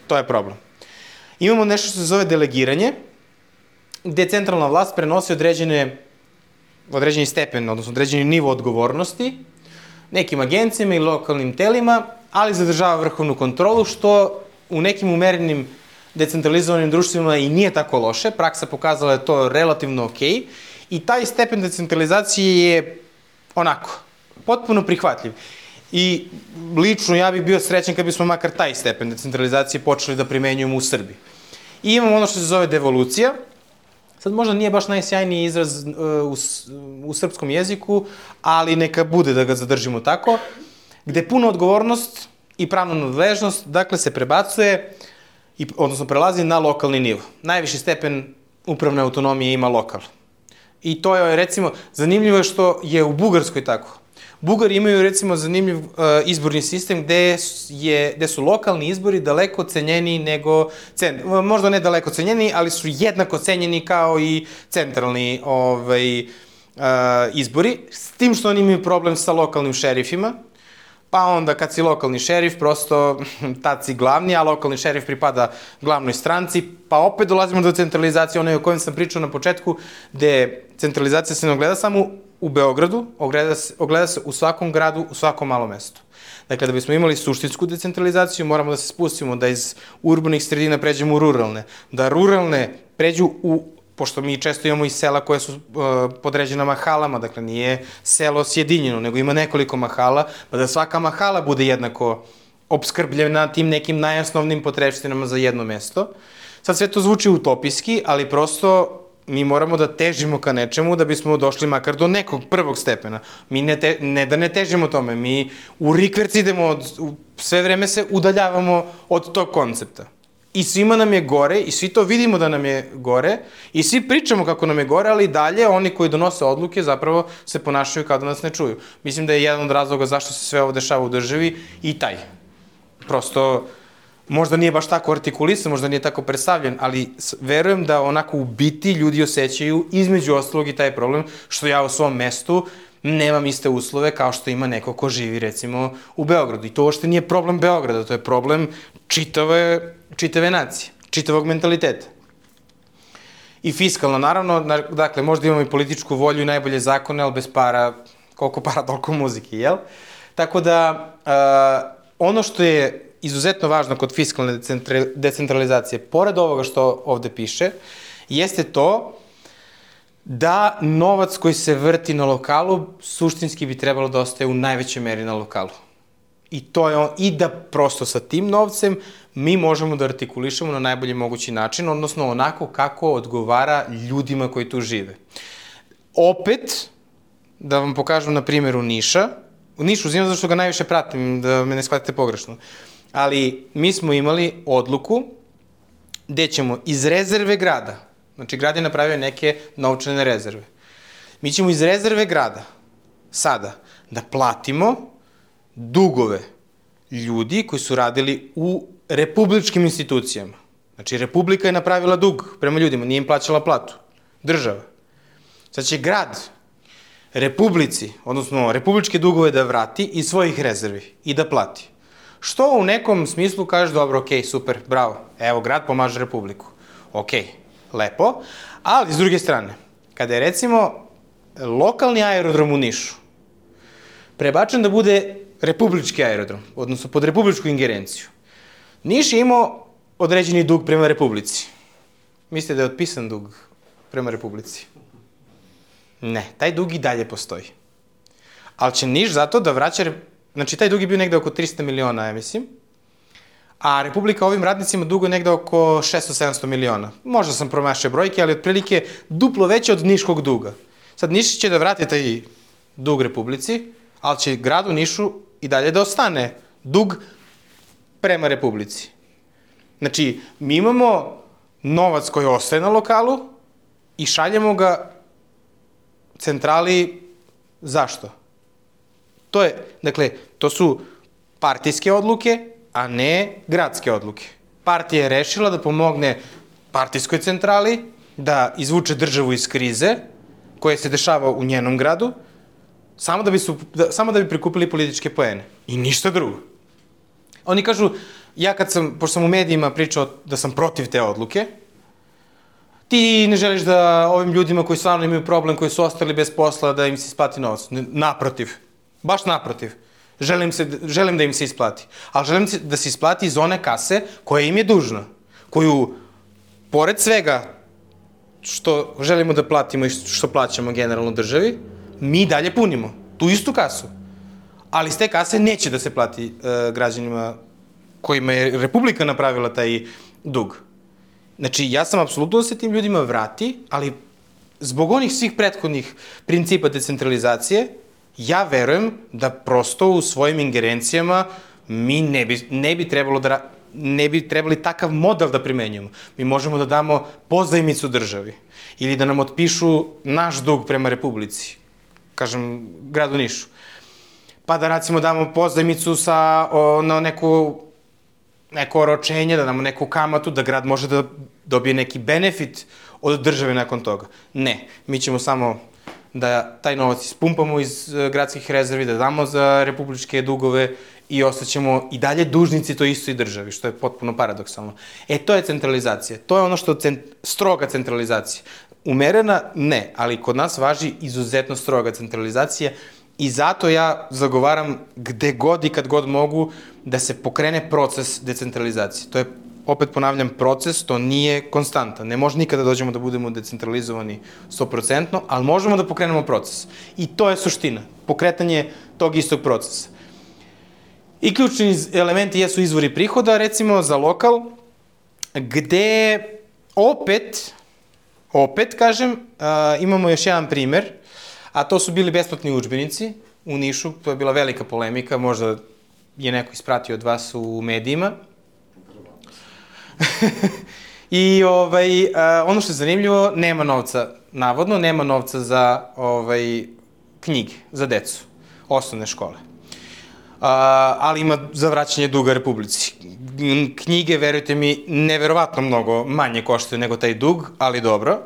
To je problem. Imamo nešto što se zove delegiranje, gde centralna vlast prenosi određeni stepen, odnosno određeni nivo odgovornosti nekim agencijama i lokalnim telima, ali zadržava vrhovnu kontrolu, što u nekim umerenim decentralizovanim društvima i nije tako loše. Praksa pokazala je to relativno okej. I taj stepen decentralizacije je onako, potpuno prihvatljiv. I lično ja bih bio srećan kad bismo makar taj stepen decentralizacije počeli da primenjujemo u Srbiji. I imamo ono što se zove devolucija. Sad možda nije baš najsjajniji izraz u srpskom jeziku, ali neka bude da ga zadržimo tako, gde puna odgovornost i pravna nadležnost, dakle, se prebacuje, odnosno prelazi na lokalni nivo. Najviši stepen upravne autonomije ima lokal. I to je, recimo, zanimljivo što je u Bugarskoj tako. Bugari imaju, recimo, zanimljiv izborni sistem gde su lokalni izbori daleko cenjeniji nego, možda ne daleko cenjeniji, ali su jednako cenjeni kao i centralni izbori, s tim što oni imaju problem sa lokalnim šerifima, pa onda kad si lokalni šerif, prosto tad si glavni, a lokalni šerif pripada glavnoj stranci, pa opet dolazimo do centralizacije, onoj o kojem sam pričao na početku, gde centralizacija se ne ogleda samo u Beogradu, ogleda se u svakom gradu, u svakom malom mestu. Dakle, da bismo imali suštinsku decentralizaciju, moramo da se spustimo, da iz urbanih sredina pređemo u ruralne, da ruralne pređu pošto mi često imamo i sela koje su podređena mahalama, dakle nije selo sjedinjeno, nego ima nekoliko mahala, pa da svaka mahala bude jednako opskrbljena tim nekim najosnovnim potrepštinama za jedno mesto. Sad sve to zvuči utopijski, ali prosto mi moramo da težimo ka nečemu da bismo došli makar do nekog prvog stepena. Mi ne da ne težimo tome, mi u rikverc idemo, sve vreme se udaljavamo od tog koncepta. I svima nam je gore, i svi to vidimo da nam je gore, i svi pričamo kako nam je gore, ali dalje oni koji donose odluke zapravo se ponašaju kao da nas ne čuju. Mislim da je jedan od razloga zašto se sve ovo dešava u državi i taj. Prosto, možda nije baš tako artikulisan, možda nije tako predstavljen, ali verujem da onako u biti ljudi osjećaju između ostalog i taj problem, što ja u svom mestu nemam iste uslove kao što ima neko ko živi recimo u Beogradu. I to uopšte nije problem Beograda, to je problem čitave nacije, čitavog mentaliteta. I fiskalno, naravno, dakle, možda imamo i političku volju i najbolje zakone, ali bez para, koliko para, toliko muzike, jel? Tako da, ono što je izuzetno važno kod fiskalne decentralizacije, pored ovoga što ovde piše, jeste to da novac koji se vrti na lokalu suštinski bi trebalo da ostaje u najvećoj meri na lokalu. I da prosto sa tim novcem mi možemo da artikulišemo na najbolji mogući način, odnosno onako kako odgovara ljudima koji tu žive. Opet, da vam pokažem na primjeru Niša, u Nišu uzimam zašto ga najviše pratim, da me ne shvatite pogrešno, ali mi smo imali odluku gde ćemo iz rezerve grada, znači grad je napravio neke novčane rezerve, mi ćemo iz rezerve grada sada da platimo dugove ljudi koji su radili u republičkim institucijama. Znači, Republika je napravila dug prema ljudima, nije im plaćala platu. Država. Sad će grad Republici, odnosno republičke dugove da vrati iz svojih rezervi i da plati. Što u nekom smislu kažeš, dobro, okej, super, bravo, evo, grad pomaže Republiku. Okej, lepo, ali s druge strane, kada je recimo lokalni aerodrom u Nišu prebačen da bude republički aerodrom, odnosno pod republičku ingerenciju, Niš je imao određeni dug prema Republici. Mislite da je otpisan dug prema Republici? Ne, taj dug i dalje postoji. Ali će Niš zato da vraća, znači taj dug je bio negde oko 300 miliona, ja mislim, a Republika ovim radnicima dugo negde oko 600-700 miliona. Možda sam promašio brojke, ali otprilike duplo veće od niškog duga. Sad Niš će da vrati taj dug Republici, ali će gradu Nišu i dalje da ostane dug prema Republici. Znači, mi imamo novac koji ostaje na lokalu i šaljemo ga centrali. Zašto? Dakle, to su partijske odluke, a ne gradske odluke. Partija je rešila da pomogne partijskoj centrali, da izvuče državu iz krize, koja se dešava u njenom gradu, samo da bi prikupili političke poene. I ništa drugo. Oni kažu, pošto sam u medijima pričao da sam protiv te odluke, ti ne želiš da ovim ljudima koji stvarno imaju problem, koji su ostali bez posla, da im se isplati novac. Naprotiv. Baš naprotiv. Želim da im se isplati. Ali želim da se isplati iz one kase koja im je dužna. Koju, pored svega što želimo da platimo i što plaćamo generalno državi, mi dalje punimo tu istu kasu. Ali iz te kase neće da se plati građanima kojima je Republika napravila taj dug. Znači, ja sam apsolutno da se tim ljudima vrati, ali zbog onih svih prethodnih principa decentralizacije, ja verujem da prosto u svojim ingerencijama mi ne bi trebali takav model da primenjujemo. Mi možemo da damo pozajmicu državi ili da nam otpišu naš dug prema Republici, kažem, gradu Nišu. Pa da, recimo, damo pozajmicu na neko oročenje, da damo neku kamatu, da grad može da dobije neki benefit od države nakon toga. Ne, mi ćemo samo da taj novac ispumpamo iz gradskih rezervi, da damo za republičke dugove i ostaćemo i dalje dužnici toj istoj državi, što je potpuno paradoksalno. To je centralizacija. To je ono što stroga centralizacija. umerena, ne, ali kod nas važi izuzetno stroga centralizacija i zato ja zagovaram gde god i kad god mogu da se pokrene proces decentralizacije. To je, opet ponavljam, proces, to nije konstanta. Ne može nikada dođemo da budemo decentralizovani 100%, ali možemo da pokrenemo proces. I to je suština, pokretanje tog istog procesa. I ključni elementi jesu izvori prihoda, recimo za lokal, gde opet kažem, imamo još jedan primer, a to su bili besplatni udžbenici u Nišu, to je bila velika polemika, možda je neko ispratio od vas u medijima. I ono što je zanimljivo, nema novca, navodno, nema novca za knjige, za decu, osnovne škole. Ali ima za vraćanje duga Republici. Knjige, verujte mi, neverovatno mnogo manje koštaju nego taj dug, ali dobro.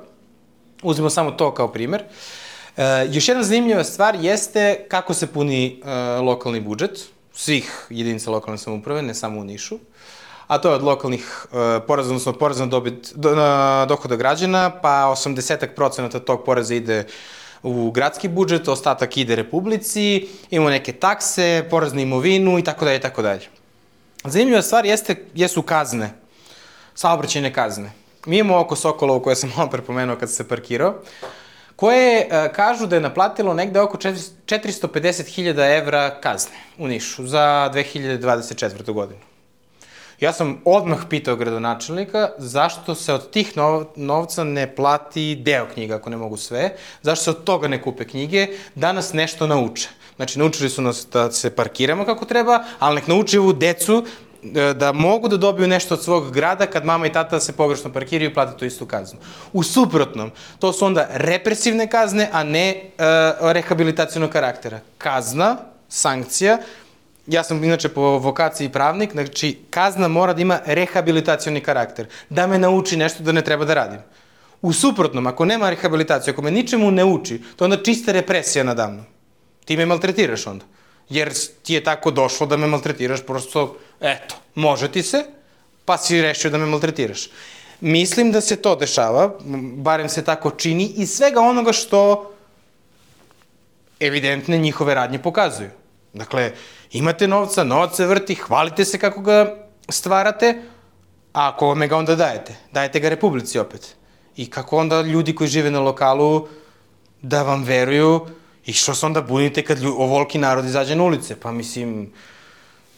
Uzmemo samo to kao primer. Još jedna zanimljiva stvar jeste kako se puni lokalni budžet svih jedinica lokalne samouprave, ne samo u Nišu, a to je od lokalnih poreza, odnosno poreza na dohoda građana, pa 80% tog poreza ide u gradski budžet, ostatak ide Republici, imamo neke takse, porez na imovinu i tako dalje, i tako dalje. Zanimljiva stvar jesu kazne, saobraćajne kazne. Mi imamo oko Sokolovo, koje sam malo prepomenuo kad se parkirao, koje kažu da je naplatilo negde oko 450.000 evra kazne u Nišu za 2024. godinu. Ja sam odmah pitao gradonačelnika zašto se od tih novca ne plati deo knjiga, ako ne mogu sve, zašto se od toga ne kupe knjige, da nas nešto nauče. Znači, naučili su nas da se parkiramo kako treba, ali nek nauče ovu decu da mogu da dobiju nešto od svog grada kad mama i tata se pogrešno parkiraju i plate tu istu kaznu. U suprotnom, to su onda represivne kazne, a ne rehabilitacionog karaktera. Kazna, sankcija, ja sam inače po vokaciji pravnik, znači kazna mora da ima rehabilitacioni karakter, da me nauči nešto da ne treba da radim. U suprotnom, ako nema rehabilitacije, ako me ničemu ne uči, to je onda čista represija nadamnom. Ti me maltretiraš onda. Jer ti je tako došlo da me maltretiraš, prosto, eto, može ti se, pa si rešio da me maltretiraš. Mislim da se to dešava, barem se tako čini, iz svega onoga što evidentne njihove radnje pokazuju. Dakle, imate novca, novac se vrti, hvalite se kako ga stvarate, a kome ga onda dajete? Dajete ga Republici opet. I kako onda ljudi koji žive na lokalu da vam veruju i što se onda bunite kad ovoliki narod izađe na ulice? Pa mislim...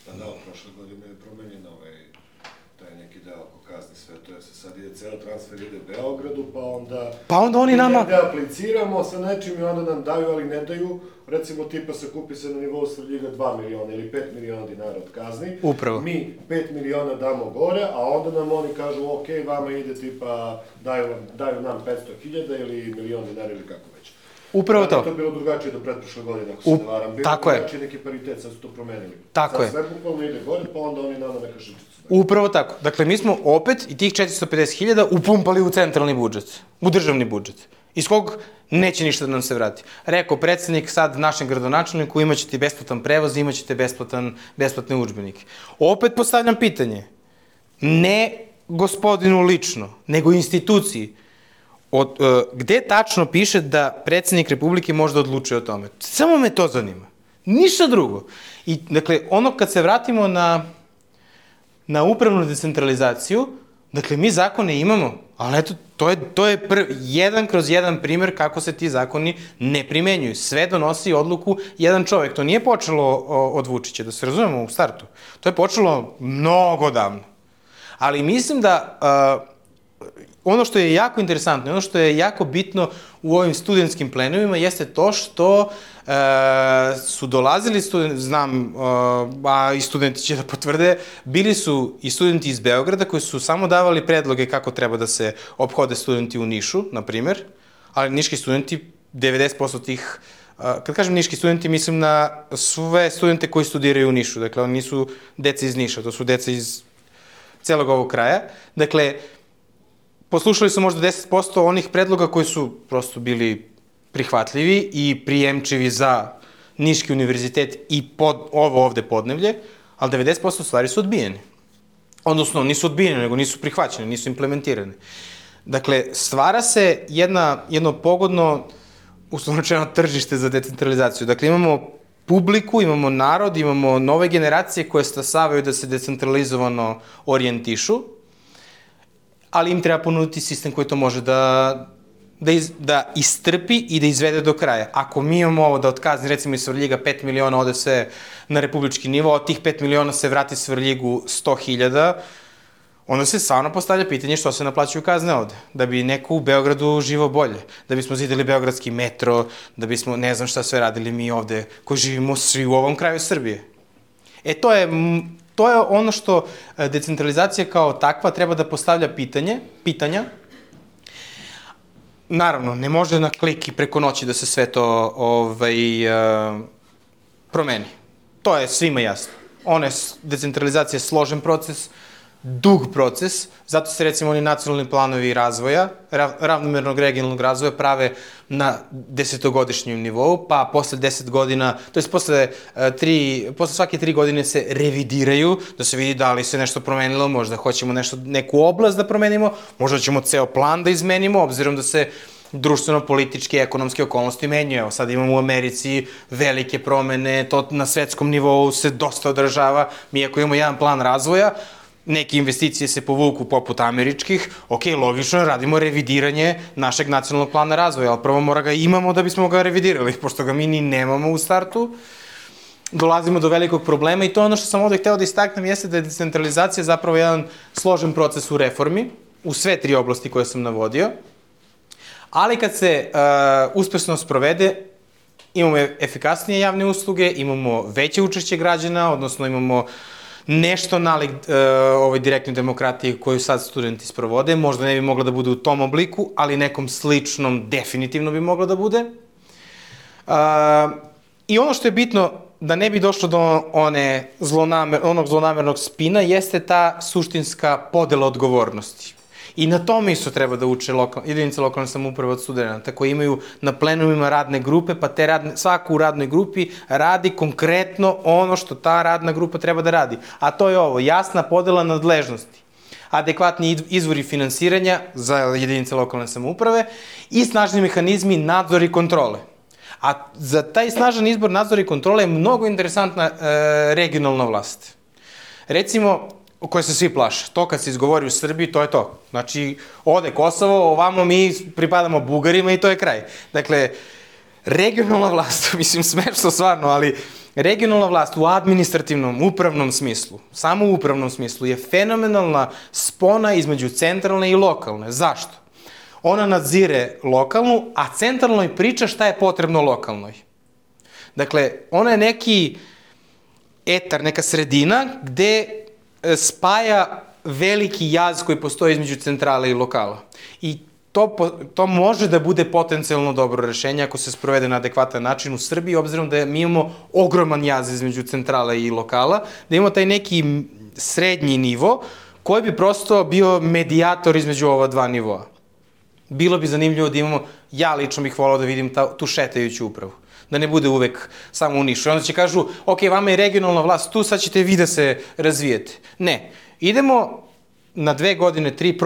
Da, prošle godine je promenjen taj neki deo oko kazni, sve to je se sad ide ceo transfer ide Beogradu, pa onda oni nama... Mi da apliciramo sa nečim i onda nam daju, ali ne daju, recimo tipa se kupi se na nivou Svrljiga 2 miliona ili 5 miliona dinara od kazni. Upravo. Mi 5 miliona damo gore, a onda nam oni kažu, ok, vama ide tipa, daju nam 500.000 ili milion dinara ili kako već. Upravo to. To je bilo drugačije do pretprošle godine, ako se ne varam. Bilo drugačije neki paritet, sad su to promenili. Tako je. Sad sve bukvalno ide gore, pa onda oni nama neka šičicu. Upravo tako. Dakle, mi smo opet i tih 450.000 upumpali u centralni budžet, u državni budžet, iz kog neće ništa da nam se vrati. Rekao predsednik sad našem gradonačelniku, imaćete besplatan prevoz, imaćete besplatne udžbenike. Opet postavljam pitanje, ne gospodinu lično, nego instituciji, gde tačno piše da predsednik Republike može da odlučuje o tome? Samo me to zanima. Ništa drugo. I, dakle, ono kad se vratimo na upravnu decentralizaciju, dakle, mi zakone imamo, ali eto, to je jedan kroz jedan primer kako se ti zakoni ne primenjuju. Sve donosi odluku jedan čovek. To nije počelo od Vučića, da se razumemo u startu. To je počelo mnogo davno. Ali mislim da ono što je jako interesantno, ono što je jako bitno u ovim studentskim plenovima jeste to što su dolazili studenti, znam, a i studenti će da potvrde, bili su i studenti iz Beograda koji su samo davali predloge kako treba da se ophode studenti u Nišu, na primer, ali niški studenti, 90% tih, kad kažem niški studenti, mislim na sve studente koji studiraju u Nišu, dakle, oni nisu deca iz Niša, to su deca iz celog ovog kraja, dakle, poslušali su možda 10% onih predloga koji su prosto bili prihvatljivi i prijemčivi za Niški univerzitet i ovo ovde podnevlje, ali 90% stvari su odbijene. Odnosno, nisu odbijene, nego nisu prihvaćene, nisu implementirane. Dakle, stvara se jedno pogodno, uslovno rečeno, tržište za decentralizaciju. Dakle, imamo publiku, imamo narod, imamo nove generacije koje stasavaju da se decentralizovano orijentišu, ali im treba ponuditi sistem koji to može da istrpi i da izvede do kraja. Ako mi imamo ovo da od kazni, recimo iz Svrljiga 5 miliona ode sve na republički nivo, od tih 5 miliona se vrati Svrljigu 100.000, onda se stvarno postavlja pitanje što se naplaćuju kazne ovde. Da bi neko u Beogradu živao bolje, da bismo zidali beogradski metro, da bismo ne znam šta sve radili mi ovde koji živimo svi u ovom kraju Srbije. To je ono što decentralizacija kao takva treba da postavlja pitanja. Naravno, ne može na klik i preko noći da se sve to promeni. To je svima jasno. Decentralizacija je složen proces, dug proces, zato se recimo oni nacionalni planovi razvoja, ravnomernog regionalnog razvoja prave na 10-godišnjem nivou, pa posle 10 godina, to je posle svake 3 godine se revidiraju, da se vidi da li se nešto promenilo, možda hoćemo neku oblast da promenimo, možda ćemo ceo plan da izmenimo, obzirom da se društveno-političke i ekonomske okolnosti menjaju. Evo, sad imamo u Americi velike promene, to na svetskom nivou se dosta odražava. Mi ako imamo jedan plan razvoja, neke investicije se povuku poput američkih, ok, logično, radimo revidiranje našeg nacionalnog plana razvoja, ali prvo mora ga imamo da bismo ga revidirali, pošto ga mi ni nemamo u startu. Dolazimo do velikog problema i to ono što sam ovde hteo da istaknem jeste da je decentralizacija zapravo jedan složen proces u reformi, u sve 3 oblasti koje sam navodio, ali kad se uspešno sprovede, imamo efikasnije javne usluge, imamo veće učešće građana, odnosno imamo nešto nalik ovoj direktnoj demokratiji koju sad studenti sprovode, možda ne bi mogla da bude u tom obliku, ali nekom sličnom definitivno bi mogla da bude. I ono što je bitno, da ne bi došlo do onog zlonamernog spina, jeste ta suštinska podela odgovornosti. I na tome isto treba da uče jedinice lokalne samouprave od studenta, koji imaju na plenumima radne grupe, pa svako u radnoj grupi radi konkretno ono što ta radna grupa treba da radi. A to je ovo, jasna podela nadležnosti, adekvatni izvori finansiranja za jedinice lokalne samouprave i snažni mehanizmi nadzora i kontrole. A za taj snažan izbor nadzora i kontrole je mnogo interesantna regionalna vlast. Recimo, koje se svi plaše. To kad se izgovori u Srbiji, to je to. Znači, ode Kosovo, ovamo mi pripadamo Bugarima i to je kraj. Dakle, regionalna vlast, mislim smešno stvarno, ali regionalna vlast u administrativnom, upravnom smislu, samo u upravnom smislu, je fenomenalna spona između centralne i lokalne. Zašto? Ona nadzire lokalnu, a centralnoj priča šta je potrebno lokalnoj. Dakle, ona je neki etar, neka sredina gde spaja veliki jaz koji postoji između centrale i lokala. I to može da bude potencijalno dobro rešenje ako se sprovede na adekvatan način u Srbiji, obzirom da mi imamo ogroman jaz između centrale i lokala, da imamo taj neki srednji nivo koji bi prosto bio medijator između ova 2 nivoa. Bilo bi zanimljivo da imamo, ja lično bih volao da vidim tu šetajuću upravu. Da ne bude uvek samo u Nišu. I onda će kažu, ok, vama je regionalna vlast tu, sad ćete vi da se razvijete. Ne. Idemo na 2 godine, 3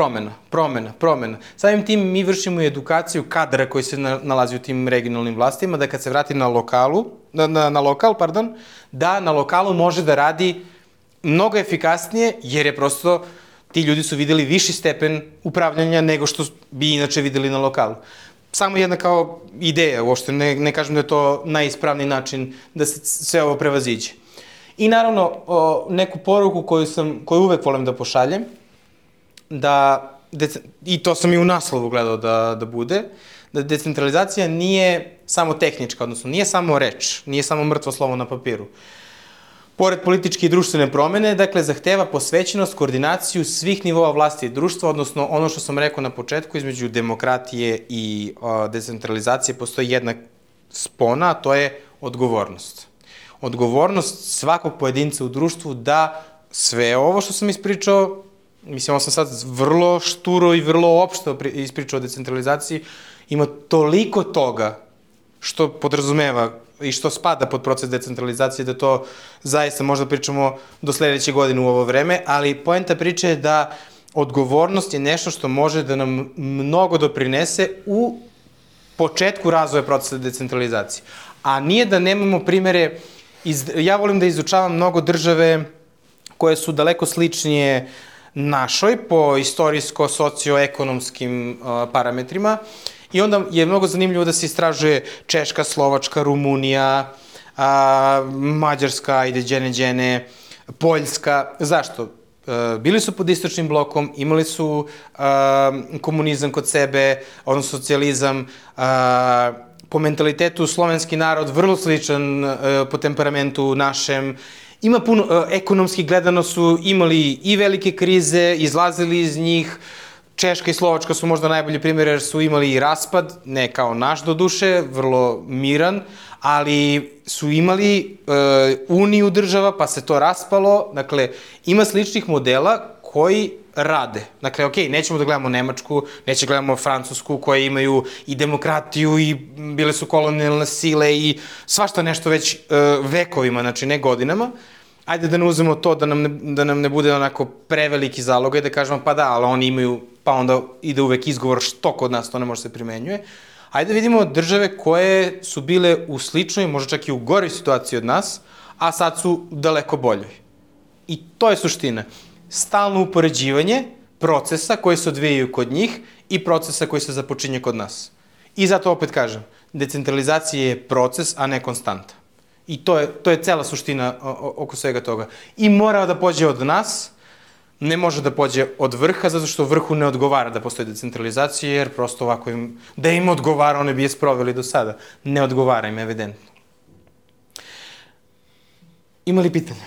promena. Samim tim mi vršimo edukaciju kadra koji se nalazi u tim regionalnim vlastima, da kad se vrati na lokal, da na lokalu može da radi mnogo efikasnije, jer je prosto ti ljudi su videli viši stepen upravljanja nego što bi inače videli na lokalu. Samo jedna kao ideja, uopšte ne kažem da je to najispravniji način da se sve ovo prevaziđe. I naravno, neku poruku koju uvek volim da pošaljem, i to sam i u naslovu gledao da bude, da decentralizacija nije samo tehnička, odnosno nije samo reč, nije samo mrtvo slovo na papiru. Pored političke i društvene promene, dakle, zahteva posvećenost, koordinaciju svih nivoa vlasti i društva, odnosno ono što sam rekao na početku, između demokratije i decentralizacije postoji jedna spona, a to je odgovornost. Odgovornost svakog pojedinca u društvu da sve ovo što sam ispričao, mislim, ovo sam sad vrlo šturo i vrlo opšto ispričao o decentralizaciji, ima toliko toga što podrazumeva i što spada pod proces decentralizacije, da to zaista možda pričamo do sledeće godine u ovo vreme, ali poenta priče je da odgovornost je nešto što može da nam mnogo doprinese u početku razvoja procesa decentralizacije. A nije da nemamo primere, ja volim da izučavam mnogo države koje su daleko sličnije našoj po istorijsko-socioekonomskim parametrima i onda je mnogo zanimljivo da se istražuje Češka, Slovačka, Rumunija, Mađarska, ajde, đene, Poljska. Zašto? Bili su pod istočnim blokom, imali su komunizam kod sebe, odnosno socijalizam, po mentalitetu slovenski narod vrlo sličan po temperamentu našem. Ima puno, ekonomski gledano su imali i velike krize, izlazili iz njih. Češka i Slovačka su možda najbolji primjer jer su imali i raspad, ne kao naš do duše, vrlo miran, ali su imali uniju država pa se to raspalo. Dakle, ima sličnih modela koji rade. Dakle, okej, nećemo da gledamo Nemačku, nećemo da gledamo Francusku koje imaju i demokratiju i bile su kolonijalne sile i svašta nešto već vekovima, znači ne godinama. Ajde da ne uzmemo to da nam ne bude onako preveliki zalogaj, da kažemo pa da, ali oni imaju, pa onda ide uvek izgovor što kod nas to ne može se primenjuje. Ajde da vidimo države koje su bile u sličnoj, možda čak i u goroj situaciji od nas, a sad su daleko boljoj. I to je suština. Stalno upoređivanje procesa koji se odvijaju kod njih i procesa koji se započinje kod nas. I zato opet kažem, decentralizacija je proces, a ne konstanta. I to je cela suština oko svega toga. I mora da pođe od nas, ne može da pođe od vrha, zato što vrhu ne odgovara da postoji decentralizacija, jer prosto ovako da im odgovara, one bi je sproveli do sada. Ne odgovara im, evidentno. Ima li pitanja?